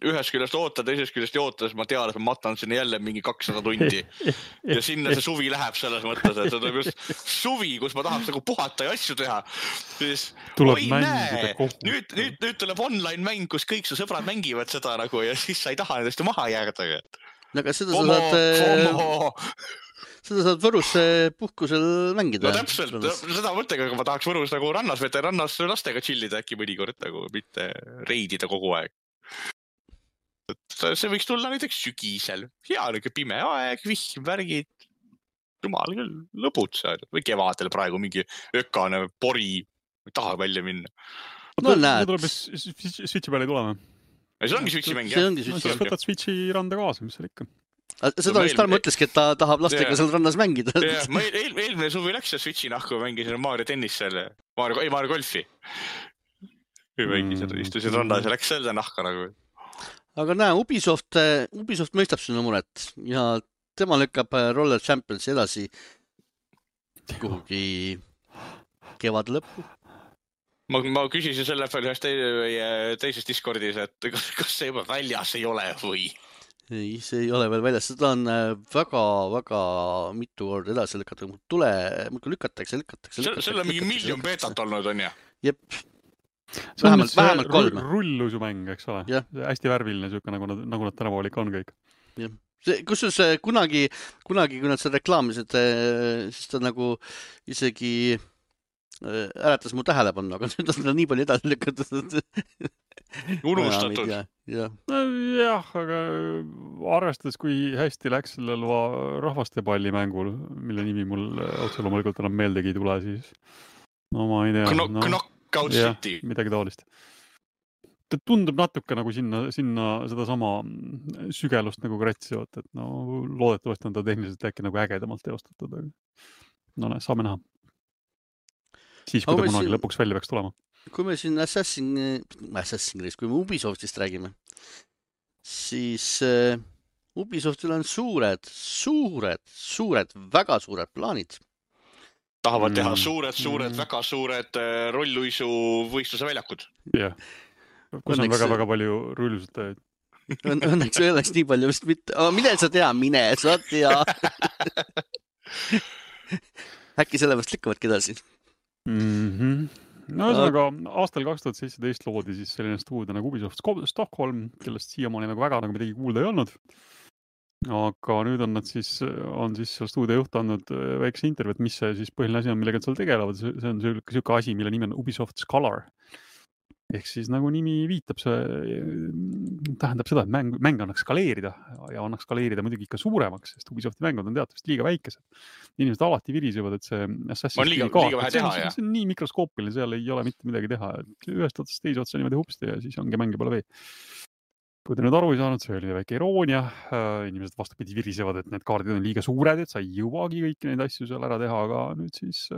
ühes küljest ootan, teises küljest ei oota, sest ma tean, et ma matan sinna jälle mingi 200 tundi. Ja sinna see suvi läheb selles mõttes, et see on just suvi, kus ma tahaks nagu puhata ja asju teha. Siis, tuleb mängida kogu. Nüüd tuleb online mäng, kus kõik su sõbrad mängivad seda nagu ja siis sa ei taha nendest maha jääda. Aga seda saad Võrus puhkusel mängida. No täpselt, seda mõttega, aga ma tahaks Võrus nagu rannas lastega chillida äkki mõnikord nagu, mitte reidida kogu aeg. See võiks tulla näiteks sügisel. Hea niuke pime aeg, vihm, värgid. Jumal küll, lõbutsed. Või kevadel praegu mingi ökane pori. Ei taha välja minna. No näed. See tuleb Switchi peale ei tulema. See ongi Switchi mäng, jah? Sa võtad Switchi randa kaasa, mis seal ikka. Seda vist Tarmo ütleski, et ta tahab lastega seal rannas mängida. Eelmine suvi läks Switchi nahku, mängisin Mario tennis selle, Mario golfi. Mängisin, istusin rannas ja läks selle nahka nagu. Aga näe, Ubisoft mõistab sinu muret ja tema lükkab Roller Championsi edasi kuhugi kevade lõppu. Ma küsisin selle peale teises Discordis, et kas see juba väljas ei ole või? Ei, see ei ole veel väljas. Seda on väga mitu korda edasi lükata. Lükatakse. Selle on mingi miljon beetat olnud, on ja? Jep. Vähemalt 3. Rullusumäng, eks ole? Ja. Hästi värviline, nagu nad tänapäeval ikka on kõik. Jah. Kusjuures kunagi, kui nad seda reklaamisid, siis ta nagu isegi äratas mu tähelepanu, aga nüüd on seda nii palju edasi lükatud. Unustatud. Jah, aga arvestades, kui hästi läks sellel rahvastepalli mängul, mille nimi mul otse loomulikult enam meeldegi ei tule, siis no ma ei tea. Knockout City. Midagi taolist. Ta tundub natuke nagu sinna seda sama sügelust nagu kratsivat, et no loodetavasti on ta tehniliselt äkki nagu ägedamalt teostatud. No saame näha. Siis, kui ta kunagi lõpuks välja peaks tulema. Kui me siin Assassin's, kui me Ubisoftist räägime, siis Ubisoftil on suured, väga suured plaanid. Tahavad teha suured, väga suured rolluisu võistluse väljakud. Jah. Kus on väga palju rullusutajaid. Õnneks ei oleks nii palju vist mitte. Mine sa tea. Äkki sellepärast lükkavadki edasi. No ühesõnaga, aastal 2017 loodi siis selline stuudio nagu Ubisoft Stockholm, kellest siiamaani nagu väga nagu midagi kuulda ei olnud. Aga nüüd on siis seal stuudio juht andnud väikse intervjuut, mis see siis põhiline asi on, millega seal tegelevad. See on selline asi, mille nimi on Ubisoft Scholar. Ehk siis nagu nimi viitab, see tähendab seda, et mäng annaks skaleerida ja annaks skaleerida muidugi ikka suuremaks, sest Ubisofti mängud on teatavasti liiga väikesed. Inimesed alati virisevad, et see Assassin's liiga vähe teha, jah. See on nii mikroskoopiline, seal ei ole mitte midagi teha. Ühest otsast teise otsa niimoodi hupsti ja siis ongi mänge pole vee. Kui te nüüd aru ei saanud, see oli väike iroonia. Inimesed vastupidi virisevad, et need kaardid on liiga suured, et sa ei jõuagi kõiki neid asju seal ära teha, aga nüüd siis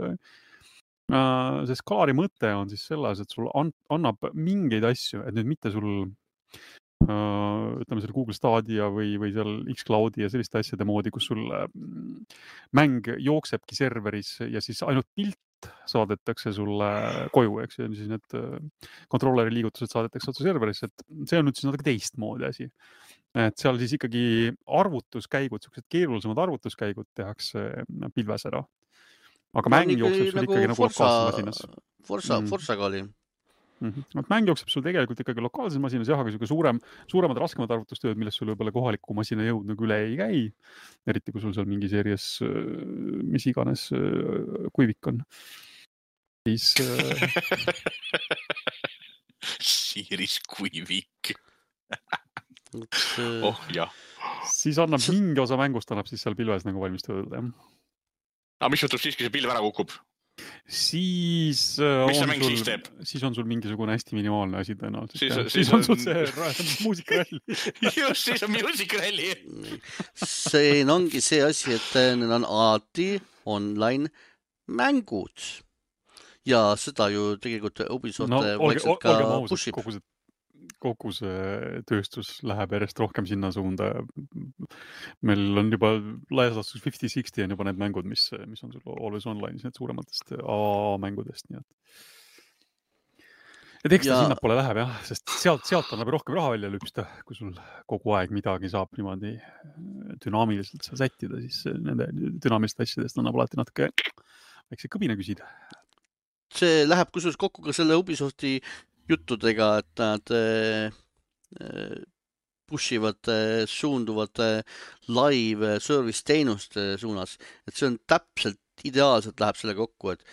see skalaari mõte on siis selles, et sul annab mingeid asju, et nüüd mitte sul ütleme seal Google Stadia või seal Xcloudi ja selliste asjade moodi, kus sul mäng jooksebki serveris ja siis ainult pilt saadetakse sulle koju, eks ja siis need kontrolleri liigutused saadetakse otse serverisse, et see on nüüd siis natuke teistmoodi asi. et seal siis ikkagi arvutuskäigud, sellised keerulisemad arvutuskäigud tehakse pilves ära. Aga mäng jookseb sul ikkagi nagu lokaalses masinas. Forsaga oli. Mäng jookseb sul tegelikult ikkagi lokaalses masinas, jah, aga suuremad raskemad arvutustööd, millest sul võib-olla kohaliku masina jõud nagu üle ei käi. Eriti kui sul seal mingi seerias, mis iganes kuivik on. Siis... Seeris kuivik. Jah. Siis annab mingi osa mängust annab siis seal pilves nagu valmis tööle. Aga mis juhtub siis, kui see pilv ära kukub? Siis on sul mingisugune hästi minimaalne asi tõenäoliselt. Siis on sul see muusikralli. Just, siis on muusikralli. See ongi see asi, et need on alati online mängud. Ja seda ju tegelikult Ubisoft vaikselt ka pushib. Kogu see tööstus läheb järjest rohkem sinna suunda. Meil on juba laias laastus 50-60 on juba need mängud, mis on sul Always Online'is, need suurematest A-mängudest. Nii et eks ta sinnapoole läheb, jah, sest sealt annab rohkem raha välja lüpsta, kui sul kogu aeg midagi saab niimoodi dünaamiliselt sättida, siis nende dünaamiliste asjadest annab alati natuke väikse kõbina küsida. See läheb kusjuures kokku ka selle Ubisofti juttudega, et nad pushivad, suunduvad live service teenuste suunas. Et see on täpselt ideaalselt läheb selle kokku, et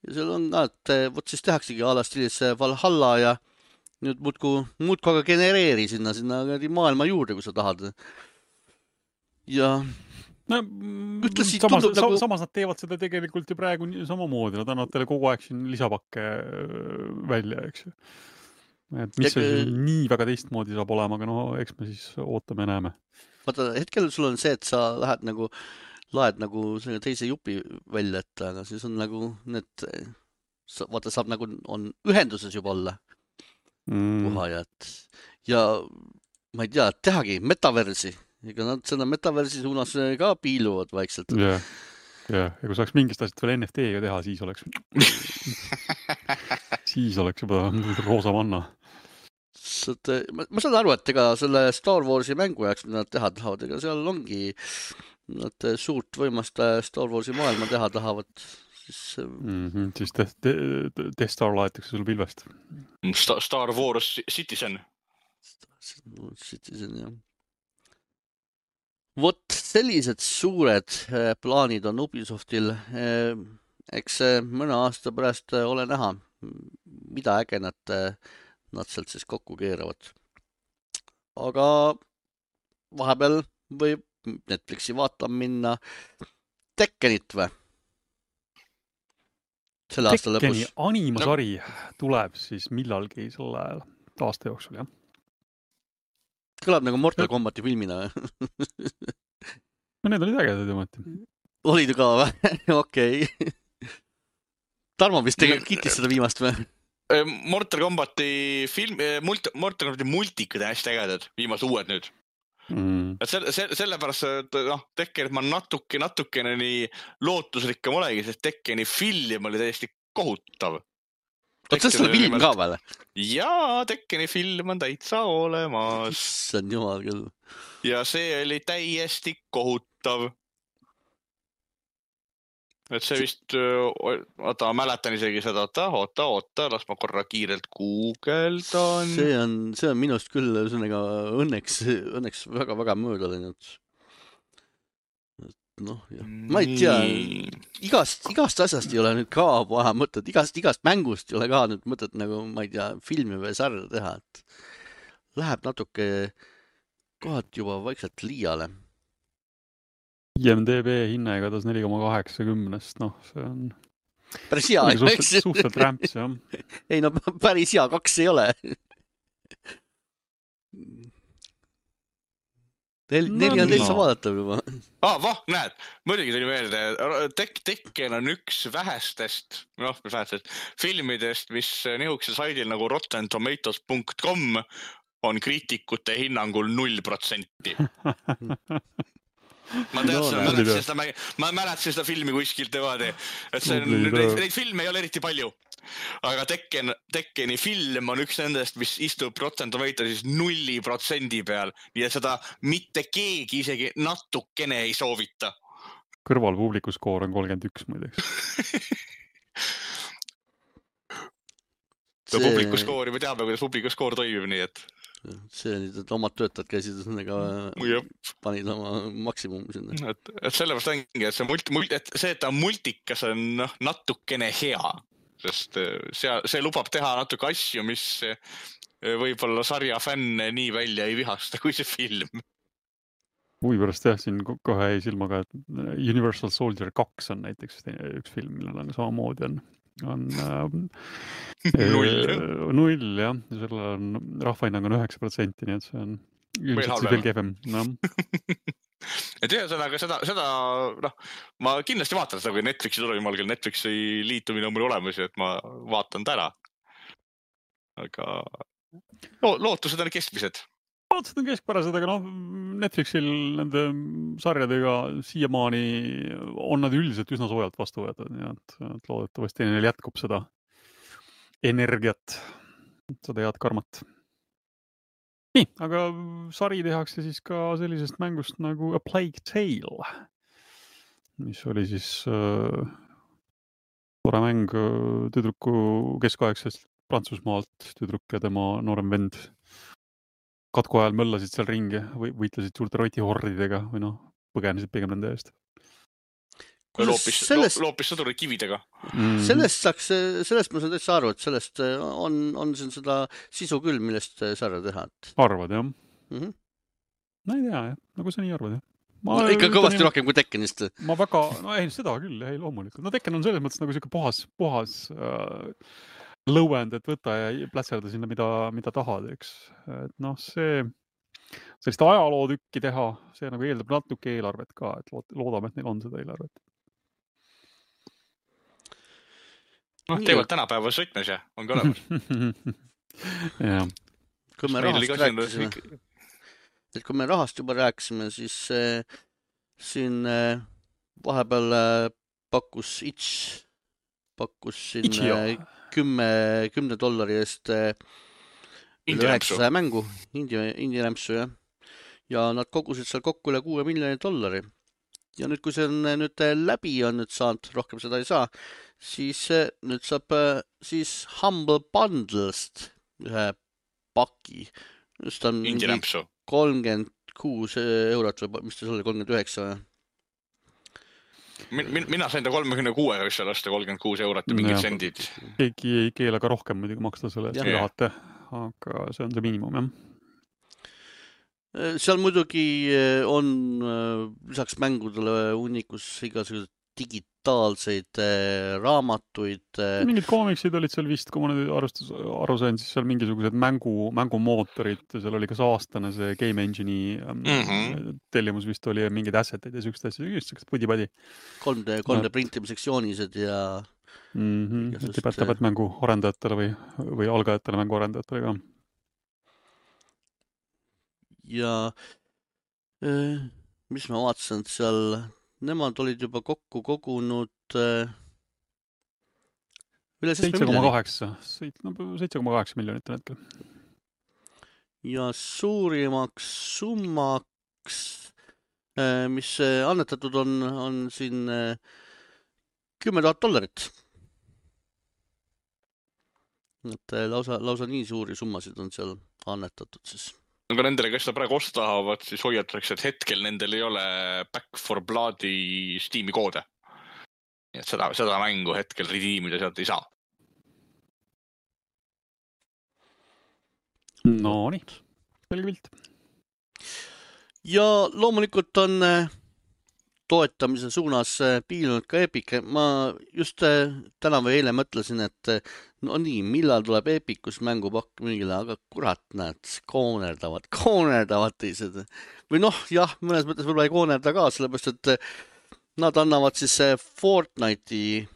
ja seal on ka, et võt siis tehaksegi alastilis Valhalla ja nüüd muudku aga genereeri sinna maailma juurde, kui sa tahad. Ja samas nad teevad seda tegelikult ju praegu samamoodi, nad annavad teile kogu aeg siin lisapakke välja, eks ju. Et mis see nii väga teistmoodi saab olema, aga eks me siis ootame ja näeme. Vaata, hetkel sul on see, et sa laed nagu selle teise jupi välja, et aga siis on nagu need, vaata, saab nagu on ühenduses juba olla puhajad. Ja ma ei tea, tehagi metaversi. Ega nad seda metaversi suunas ka piiluvad vaikselt. Ja kui saaks mingist asjad veel NFT-ga teha, siis oleks juba roosa manna. Ma saan aru, et ega selle Star Warsi mängu jääks, mida nad teha tahavad, ega seal ongi nad suurt võimast Star Warsi maailma teha tahavad. Siis Death Star laetakse sul pilvest. Star Wars Citizen. Citizen, jah. Vot sellised suured plaanid on Ubisoftil. Eks mõne aasta pärast ole näha, mida äge nad sealt siis kokku keeravad. Aga vahepeal võib Netflixi vaatama minna Tekkenit või? Selle aasta lõpus. Tekkeni animasari tuleb siis millalgi selle aasta jooksul, jah? Kõlab nagu Mortal Kombati filmina. No need olid ägedad ometi. Olid ka või? Okei. Tarmo vist tegelikult kiitis seda viimast või? Mortal Kombati Mortal Kombati multikad on hästi ägedad, viimase uued nüüd. Et sellepärast, Tekkenit ma natukene nii lootusrikkam olegi, sest Tekkeni film oli täiesti kohutav. Oot, see film ka veel? Jaa, Tekkeni film on täitsa olemas. See on jumal küll. Ja see oli täiesti kohutav. Et see vist, mäletan isegi seda, oota, las ma korra kiirelt guugeldan. See on minust küll õnneks väga mööda läinud. Ma ei tea, igast asjast ei ole nüüd ka vaja mõtet, igast mängust ei ole ka nüüd mõtet nagu, ma ei tea, filmi või sarja teha, et läheb natuke kohad juba vaikselt liiale. IMDB hinna igatahes 4,80, see on päris hea, suhtelt rämps, jah. Ei, päris hea, 2 ei ole. 4 on täitsa vaadatav juba. Näed, muidugi tuli meelde, Tekken on üks vähestest filmidest, mis nihukesel saidil nagu rottentomatoes.com on kriitikute hinnangul 0%. Ma mäletasin seda filmi kuskilt niimoodi, et neid filme ei ole eriti palju. aga Tekkeni film on üks nendest, mis istub protsentomeeter siis 0% peal, nii et seda mitte keegi isegi natukene ei soovita. Kõrval publiku skoor on 31 muideks. Publiku skoori, me teame, kuidas publiku skoor toimib, nii et... See oli, et omad töötajad käisid panid oma maksimum sinna. Et sellepärast ongi, et see, et ta multikas on natukene hea, sest see lubab teha natuke asju, mis võib-olla sarja fänne nii välja ei vihasta kui see film. Huvi pärast siin kohe jäi silmaga, et Universal Soldier 2 on näiteks üks film, millel on samamoodi on 0 jah, selle on rahvahinnang on 9%, nii et see on ilmselt veel kehvem. Et ühesõnaga seda ma kindlasti vaatan seda, kui Netflixi tuleb jumal, küll Netflixi liitumine on mul olemas, et ma vaatan ta ära. Aga lootused on keskmised. Lootused on keskpärased, aga Netflixil nende sarjadega siiamaani on nad üldiselt üsna soojalt vastu võetud, nii et loodetavasti neil jätkub seda energiat, seda head karmat. Nii, aga sari tehakse siis ka sellisest mängust nagu A Plague Tale, mis oli siis tore mäng tüdruku keskaegsest Prantsusmaalt, tüdruk ja tema noorem vend katku ajal möllasid seal ringi, võitlesid suurte rotihordidega või põgenesid pigem nende eest. Loopis sõdurid kividega. Sellest ma saan täitsa aru, et sellest on siin seda sisu küll, millest sarja teha. Arvad, jah? No ei tea, jah. Nagu sa nii arvad, jah? Ikka kõvasti rohkem kui Tekkenist. Ma väga, seda küll, ei loomulikult. Tekken on selles mõttes nagu siuke puhas lõuend, et võta ja plätserda sinna, mida tahad, eks. Et sellist ajalootükki teha, see nagu eeldab natuke eelarvet ka, et loodame, et neil on seda eelarvet. Teevad tänapäeva sõitmes ja on ka olemas. Jah. Kui me rahast juba rääkisime, siis siin vahepeal pakkus siin $10 eest üle 900 mängu, indie-rämpsu, jah. Ja nad kogusid seal kokku üle $6 miljonit. Ja nüüd, kui see on nüüd läbi on nüüd saanud, rohkem seda ei saa, siis nüüd saab siis Humble Bundle'st ühe paki. Just on indie-rämpsu. 36 eurot või mis ta oli, 39 või? Mina sain ta 36, võiks seal osta 36 eurot ja mingid sendid. Keegi ei keela ka rohkem muidugi maksta selle eest, tahate, aga see on see miinimum, jah. Seal muidugi on lisaks mängudele unikus igasugused digitaalseid raamatuid. Mingid koomiksid olid seal vist, kui ma nüüd aru sain, siis seal mingisugused mängumootorid, seal oli kas aastane see Game Engine'i tellimus vist oli mingid assetid ja sükst asja, just pudi-padi. 3D printimiseks joonised ja... Tipätavad mängu arendajatele või algajatele mängu arendajatele ka. Ja mis ma vaatasin seal... Nemad olid juba kokku kogunud üle 7,8 miljonit hetkel. Ja suurimaks summaks, mis annetatud on siin $10,000. Et lausa nii suuri summasid on seal annetatud siis. Aga nendele, kes seda praegu osta tahavad, siis hoiatakse, et hetkel nendel ei ole Back 4 Bloodi Steam'i koode. Nii et seda mängu hetkel redeemida sealt ei saa. No nii, selge pilt. Ja loomulikult on toetamise suunas piilunud ka Epic. Ma just täna või eile mõtlesin, et no nii, millal tuleb Epicus mängupakk mingile, aga kurat, näed, koonerdavad teised. Või jah, mõnes mõttes võib-olla ei koonerda ka, sellepärast, et nad annavad siis Fortnite'i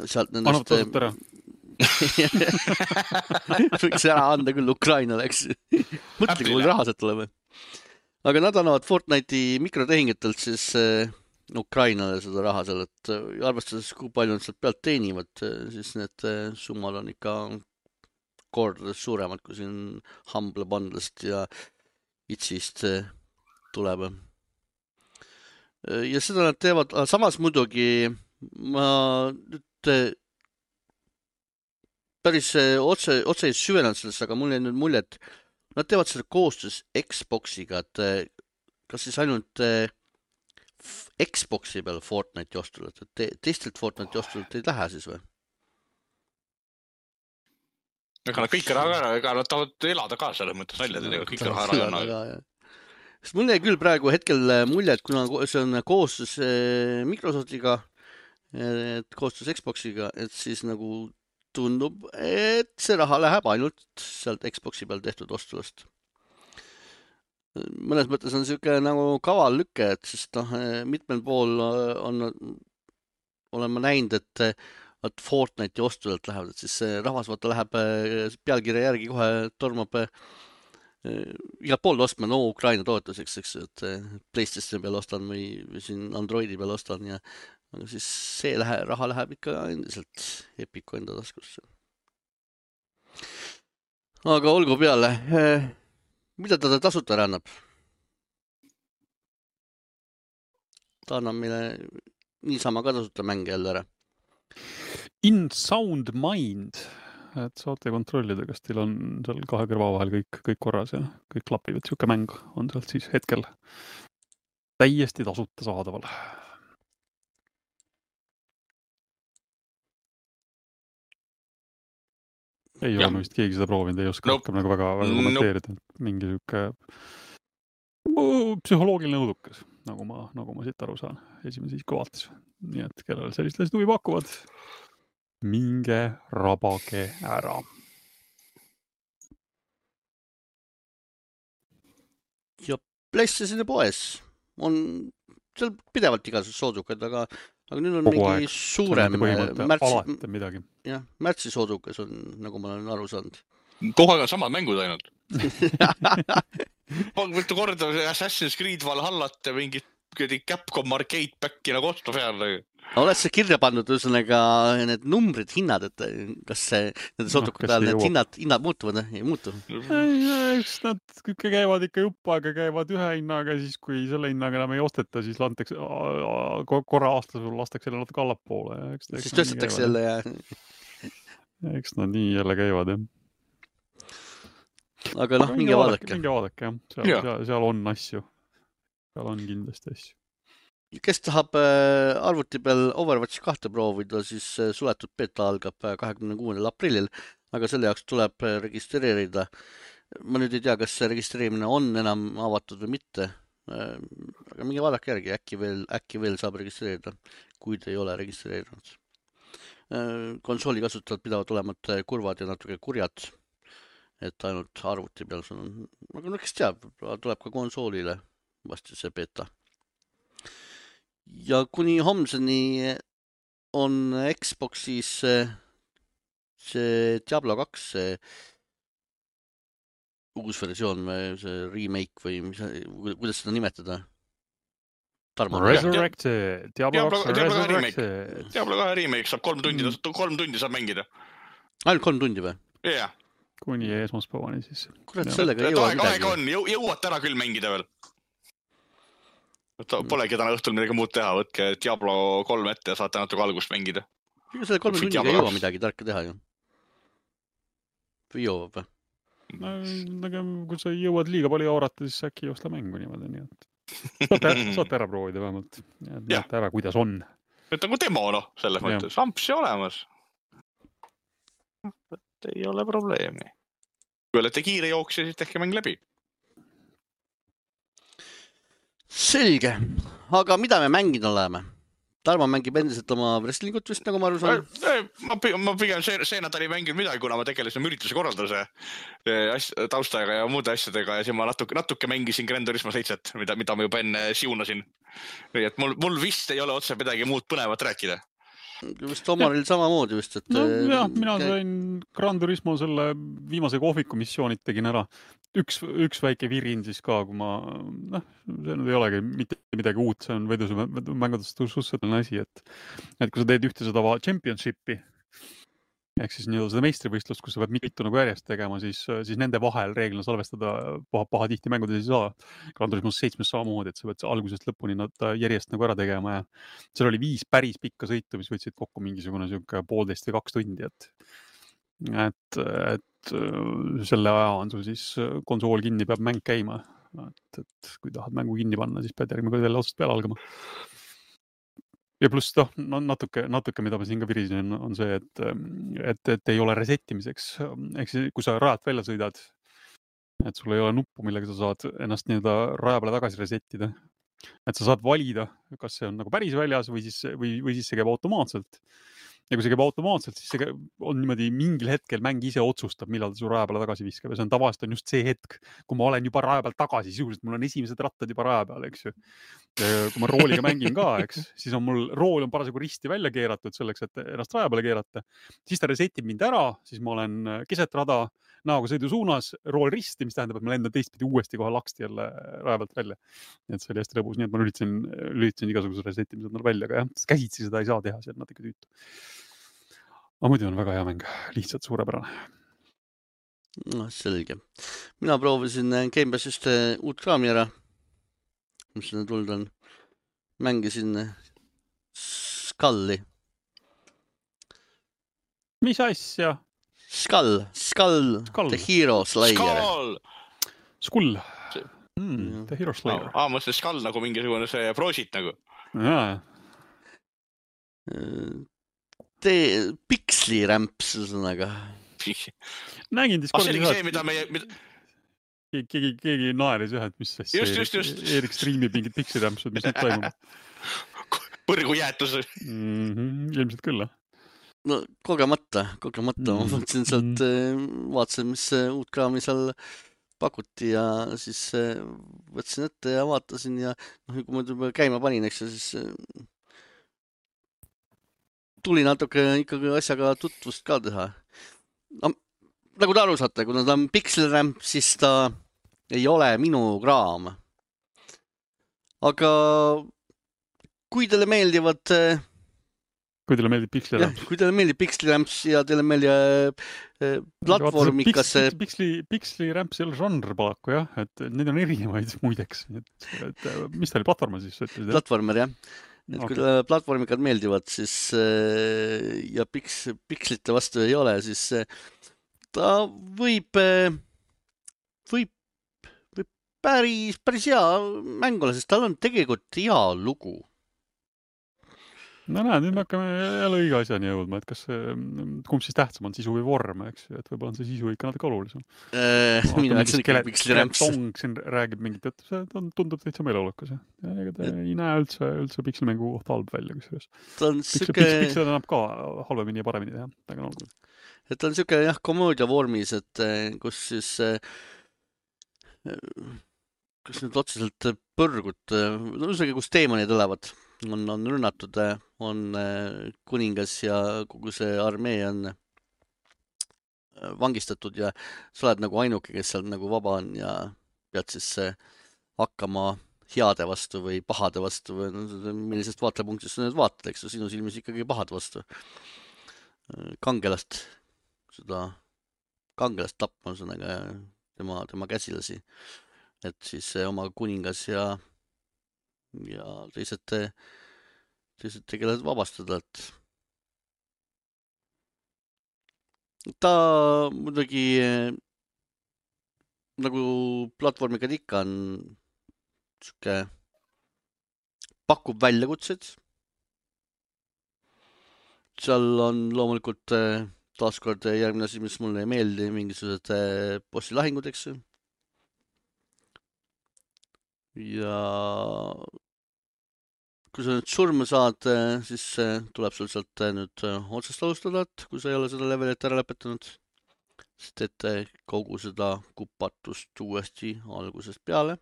sealt nendest... Annab tasut ära. Võiks ära anda küll Ukrainale, eks. Mõtle, kui raha sealt tuleb. Aga nad annavad Fortnite'i mikrotehingutelt siis Ukrainale seda raha seal, et arvestades, kui palju nad sealt pealt teenivad, siis need summad on ikka kordades suuremad, kui siin Humble Bundle'st ja Itsist tuleb. Ja seda nad teevad, samas muidugi ma nüüd päris otse ei süvenenud sellest, aga mul jäi nüüd mulje, et nad teevad seda koostöös Xboxiga, et kas siis ainult Xboxi peal Fortnite'i ostule, et teistelt Fortnite'i ostult ei lähe siis või? Ega nad kõik raha ära, ega nad tahavad elada ka selles mõttes välja, et kõik raha ära anna. Sest mul jäi küll praegu hetkel mulje, et kuna see on koostöös Microsoftiga, et koostöös Xboxiga, et siis nagu tundub, et see raha läheb ainult sealt Xboxi peal tehtud ostulast. Mõnes mõttes on siuke nagu kaval lükke, et sest mitmel pool olen ma näinud, et Fortnite'i ostulalt lähevad, et siis rahvas vaata läheb pealkirja järgi kohe tormab igalt pool ostma, no Ukraina toetuseks, eks, et PlayStationi peal ostan või siin Androidi peal ostan ja aga siis see raha läheb ikka endiselt Epiku enda taskusse. Aga olgu peale. Mida ta tasuta ära annab? Ta annab meile niisama ka tasuta mänge jälle ära. In Sound Mind, et saate kontrollida, kas teil on seal kahe kõrva vahel kõik korras ja kõik klapib, et siuke mäng on sealt siis hetkel täiesti tasuta saadaval. Ei ole vist keegi seda proovinud, ei oska rohkem nagu väga kommenteerida. Mingi siuke psühholoogiline õudukas, nagu ma siit aru saan. Esimene siis vaatas. Nii et kellel sellist huvi pakuvad, minge rabage ära. Ja PlayStationi poes on seal pidevalt igasugused soodukaid, aga nüüd on mingi suurem märtsi soodukas on, nagu ma olen aru saanud. Kogu aeg on samad mängud ainult. Võttu korda Assassin's Creed Valhallat ja mingit Capcom Arcade Packi nagu ostu peal. Oled see kirja pannud ühesõnaga need numbrid, hinnad, et kas need soodukad ajal need hinnad muutuvad, ei muutu? Eks nad käivad ikka jupp aega, käivad ühe hinnaga, siis kui selle hinnaga enam ei osteta, siis korra aastas lastakse jälle natuke allapoole. Siis tõstetakse jälle ja... Eks nad nii jälle käivad, jah. Aga minge vaadake. Minge vaadake, jah. Seal on asju. Seal on kindlasti asju. Kes tahab arvuti peal Overwatch 2 proovida, siis suletud beta algab 26. aprillil, aga selle jaoks tuleb registreerida. Ma nüüd ei tea, kas see registreerimine on enam avatud või mitte, aga minge vaadake järgi, äkki veel saab registreerida, kui te ei ole registreerinud. Konsooli kasutajad pidavad olema kurvad ja natuke kurjad, et ainult arvuti peal see on. Aga no kes teab, tuleb ka konsoolile vasti see beta. Ja kuni homseni on Xboxis see Diablo 2 uus versioon või see remake või kuidas seda nimetada? Resurrected. Diablo 2 Resurrected. Diablo 2 remake saab 3 tundi saab mängida. Ainult 3 tundi või? Jah. Kuni esmaspäevani siis. Kurat, sellega ei jõua midagi. Aega on, jõuad täna küll mängida veel. Polegi täna õhtul midagi muud teha, võtke Diablo 3 ette ja saate natuke algust mängida. Selle 3 tunniga ei jõua midagi tarka teha ju. Või jõuab või? Kui sa jõuad liiga palju aurata, siis äkki ei osta mängu niimoodi, nii et saate ära proovida vähemalt. Näete ära, kuidas on. Et nagu demo, selles mõttes. Ampsi olemas. Ei ole probleemi. Kui olete kiire jooksja, siis tehke mäng läbi. Selge. Aga mida me mänginud oleme? Tarmo mängib endiselt oma wrestlingut vist, nagu ma aru saan. Ma pigem see nädal ei mänginud midagi, kuna ma tegelesin ürituse korralduse taustaga ja muude asjadega ja siis ma natuke mängisin Gran Turismo 7, mida ma juba enne siunasin. Nii et mul vist ei ole otse midagi muud põnevat rääkida. Vist Omaril samamoodi vist, et... No jah, mina sain Gran Turismo selle viimase kohviku missioonid tegin ära. Üks väike virin siis ka, kui ma... see nüüd ei olegi mitte midagi uut, see on mängudest suhteliselt asi, et kui sa teed ühte seda championshipi, ehk siis seda meistrivõistlust, kus sa pead mitu nagu järjest tegema, siis nende vahel reeglina salvestada paha tihti mängudes ei saa. Gran Turismo 7 samamoodi, et sa pead algusest lõpuni nad järjest nagu ära tegema ja seal oli 5 päris pikka sõitu, mis võtsid kokku mingisugune 1,5 või 2 tundi, et selle aja on sul siis konsool kinni, peab mäng käima. Et kui tahad mängu kinni panna, siis pead järgmine kord jälle otsast peale algama. Ja pluss natuke, mida ma siin ka virisin, on see, et ei ole resettimiseks. Ehk siis, kui sa rajalt välja sõidad, et sul ei ole nuppu, millega sa saad ennast raja peale tagasi resettida. Et sa saad valida, kas see on nagu päris väljas või siis see käib automaatselt. Ja kui see käib automaatselt, siis see on niimoodi mingil hetkel mäng ise otsustab, millal ta su raja peale tagasi viskab. Ja see on tavaliselt on just see hetk, kui ma olen juba raja peal tagasi, sisuliselt mul on esimesed rattad juba raja peal, eks ju. Ja kui ma rooliga mängin ka, eks, siis on mul rool on parasjagu risti välja keeratud selleks, et ennast raja peale keerata. Siis ta resetib mind ära, siis ma olen keset rada näoga sõidu suunas, rool risti, mis tähendab, et ma lendan teistpidi uuesti kohe laksti jälle raja pealt välja. Nii et see oli hästi lõbus, nii et ma lülitasin igasuguse resettimised välja, aga jah, käsitsi seda ei saa teha, see on natuke tüütu. Aga muidu on väga hea mäng, lihtsalt suurepärane. No, selge. Mina proovisin Gamepassist uut kraami ära, mis sinna tulnud on. Mängisin Skulli. Mis asja? Skull, The Hero Slayer. Skull. The Hero Slayer. Ma mõtlen Skull nagu mingisugune see Prosit nagu. Jaa. Pikslirämps, ühesõnaga. Nägin Discordis see, mida meie... Keegi naeris jah, et mis just. Eerik striimib mingid pikslirämpsud, mis nüüd toimub. Põrgu jäätus. Ilmselt küll, No, kogemata. Ma võtsin sealt, vaatasin, mis uut kraami seal pakuti ja siis võtsin ette ja vaatasin ja kui ma juba käima panin, eks siis tuli natuke ikkagi asjaga tutvust ka teha. No, nagu te aru saate, kuna ta on Pixelramp, siis ta ei ole minu kraam. Aga kui teile meeldivad... Kui teile meeldib Pixliramps. Kui teile meeldib Pixliramps ja teile meeldib platvormikas... Pixliramps ei ole žanr paraku, jah. Et need on erinevaid muideks. Et, mis ta oli platvorma siis? Platvormer, jah. Et kui teile platvormikad meeldivad, siis ja pixlite vastu ei ole, siis ta võib päris hea mäng olla, sest tal on tegelikult hea lugu. No näed, nüüd me hakkame jälle õige asjani jõudma, et kas kumb siis tähtsam on sisu või vorm, eks, et võib-olla on see sisu ikka natuke olulisem. Minu jaoks on ikka Pixliramps. Tong siin räägib mingit, et see tundub täitsa meeleolukas. Ega ta ei näe üldse Pixelmängu kohta halb välja. Pixel annab ka halvemini ja paremini teha. Et ta on siuke jah, komöödia vormis, et kus siis kus nüüd otseselt põrgut, kus teemonid elavad, on rünnatud, on kuningas ja kogu see armee on vangistatud ja sa oled nagu ainuke, kes seal nagu vaba on ja pead siis hakkama heade vastu või pahade vastu või millisest vaatlepunktist sa nüüd vaatad, eks sinu silmis ikkagi pahade vastu. Kangelast tapma tema käsilasi, et siis oma kuningas ja teised tegelased vabastada, et ta muidugi nagu platvormikad ikka on siuke pakub väljakutsed. Seal on loomulikult taaskord järgmine asi, mis mulle ei meeldi, mingisugused bossilahingud, eks ju. Ja kui sa nüüd surma saad, siis tuleb sul sealt nüüd otsast alustada, et kui sa ei ole seda levelit ära lõpetanud, siis teete kogu seda kupatust uuesti algusest peale.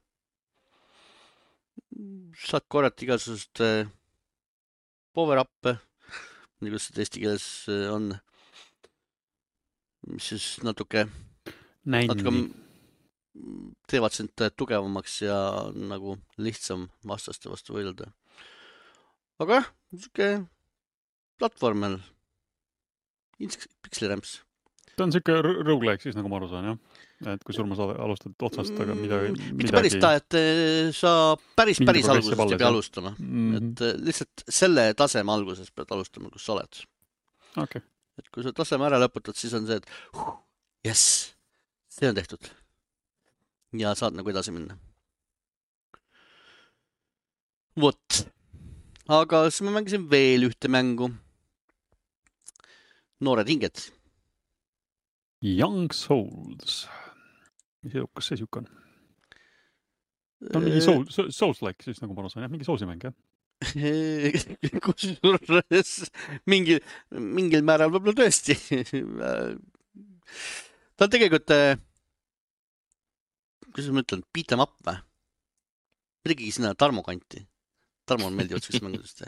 Saad korrata igasugust power-up'e, nii kuidas see eesti keeles on, mis siis natuke teevad sind tugevamaks ja nagu lihtsam vastaste vastu võidelda. Aga jah, niisugune platvormel, pikslirämps. Ta on niisugune roguelike siis, nagu ma aru saan, jah? Et kui surma sa alustad otsast, aga midagi... Mitte päris ta, et sa päris algusest ei pea alustama. Et lihtsalt selle taseme alguses pead alustama, kus sa oled. Okay. Et kui sa taseme ära lõputad, siis on see, et yes, see on tehtud. Ja saad nagu edasi minna. Vot. Aga siis ma mängisin veel ühte mängu. Noored hinged. Young Souls. Mis edukas see siuke on? Ta on mingi Souls-like, siis nagu ma aru saan, jah? Mingi Soulsi-mäng, jah? Kusjuures mingil määral võib-olla tõesti. Ta on tegelikult, kuidas ma ütlen, beat 'em up või? Midagi sinna Tarmo kanti. Tarmo on meeldivad sellist mängudest.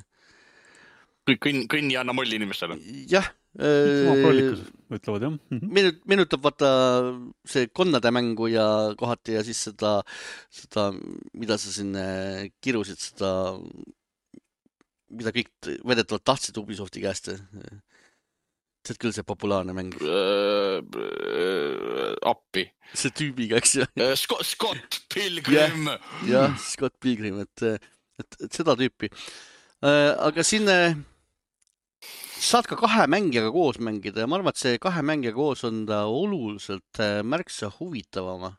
Kõnn ja anna molli inimestele. Jah. Prollikus, ütlevad, jah. Meenutab vaata see konnade mängu ja kohati ja siis seda, mida sa siin kirusid, seda, mida kõik vedetavalt tahtsid Ubisofti käest. See on küll see populaarne mäng. Appi. See tüübiga, eks ju. Scott Pilgrim. Jah, Scott Pilgrim, et seda tüüpi. Aga siin saad ka 2 mängijaga koos mängida ja ma arvan, et see 2 mängijaga koos on ta oluliselt märksa huvitavama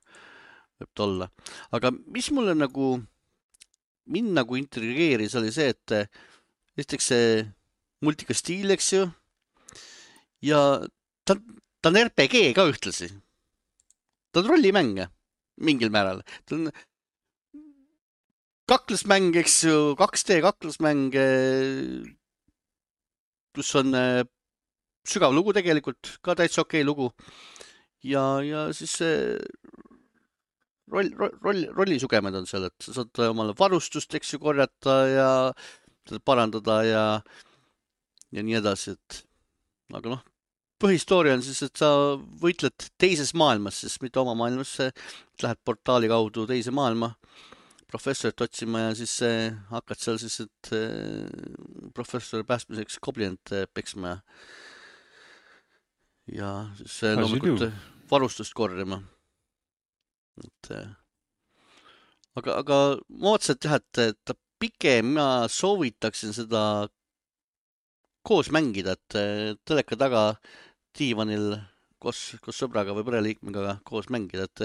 võib ta olla. Aga mis mulle mind nagu intrigeeris oli see, et esiteks see multikastiil, eks ju, ja ta on RPG ka ühtlasi. Ta on rollimäng mingil määral. Ta on kaklusmäng, eks ju, 2D kaklusmäng, kus on sügav lugu tegelikult, ka täitsa okei lugu. Ja siis rollisugemed on seal, et sa saad omale varustust, eks ju, korjata ja parandada ja nii edasi, et aga põhistooria on siis, et sa võitled teises maailmas, siis mitte oma maailmas, lähed portaali kaudu teise maailma professorit otsima ja siis hakkad seal siis, et professori päästmiseks koblinat peksma ja siis loomulikult varustust korjama. Aga ma otseselt jah, et ta pigem ma soovitaksin seda koos mängida, et teleka taga diivanil koos sõbraga või pereliikmega koos mängida, et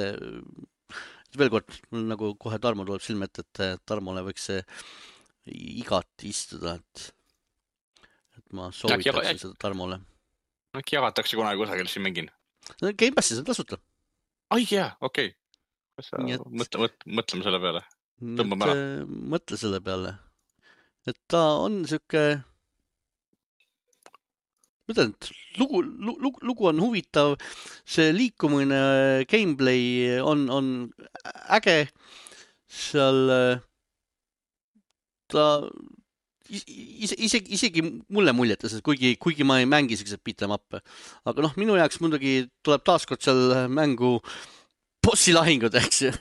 veel kord, mul nagu kohe Tarmo tuleb silme ette, et Tarmole võiks see igati istuda, et ma soovitaksin seda Tarmole. Äkki jagatakse kunagi kusagil siin mängin? Game Passis on tasuta. Ai jaa, okei. Mõtleme selle peale. Tõmbame ära. Mõtle selle peale. Et ta on siuke... Mõtlen, et lugu on huvitav, see liikumine, gameplay on äge, seal ta isegi mulle muljetas, et kuigi ma ei mängi sellised beat 'em up, aga minu jaoks muidugi tuleb taaskord seal mängu bossilahingud, eks ju.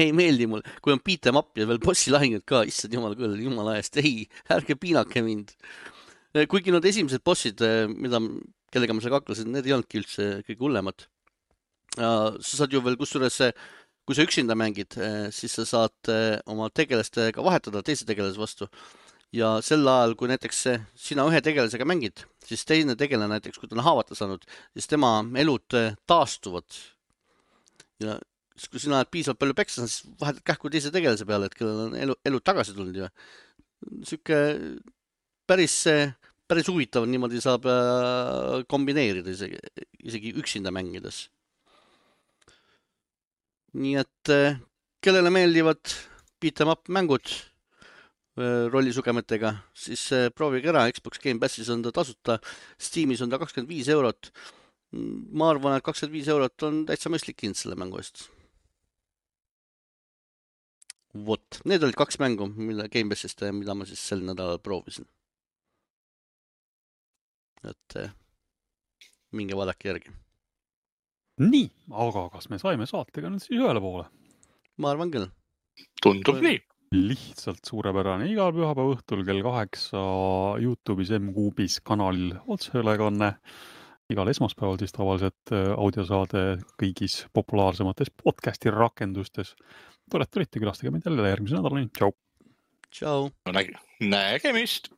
Ei meeldi mul, kui on beat 'em up ja veel bossilahingud ka, issand jumal küll, jumala eest, ei, ärge piinake mind. Kuigi need esimesed bossid, kellega ma seal kaklesin, need ei olnudki üldse kõige hullemad. Sa saad ju veel kusjuures, kui sa üksinda mängid, siis sa saad oma tegelastega vahetada teise tegelase vastu. Ja sel ajal, kui näiteks sina ühe tegelasega mängid, siis teine tegelane näiteks, kui ta on haavata saanud, siis tema elud taastuvad. Ja kui sina oled piisavalt palju peksa, siis vahetad kähku teise tegelase peale, et kellel on elud tagasi tulnud. Siuke päris huvitav, niimoodi saab kombineerida isegi üksinda mängides. Nii et kellele meeldivad beat 'em up mängud rollisugemetega, siis proovige ära, Xbox Game Passis on ta tasuta, Steamis on ta 25 €. Ma arvan, et 25 € on täitsa mõistlik hind selle mängu eest. Vot, need olid 2 mängu, mille Game Passist, mida ma siis sel nädalal proovisin. et minge vaadake järgi. Nii, aga kas me saime saatega nüüd siis ühele poole? Ma arvan küll. Tundub nii. Lihtsalt suurepärane. Igal pühapäeva õhtul kell 8 YouTube'is M-Kuubis kanalil otseülekanne. Igal esmaspäeval siis tavaliselt audiosaade kõigis populaarsemates podcasti rakendustes. Tore, et tulite, külastage meid jälle järgmise nädalani. Tšau! Tšau! Nägemist!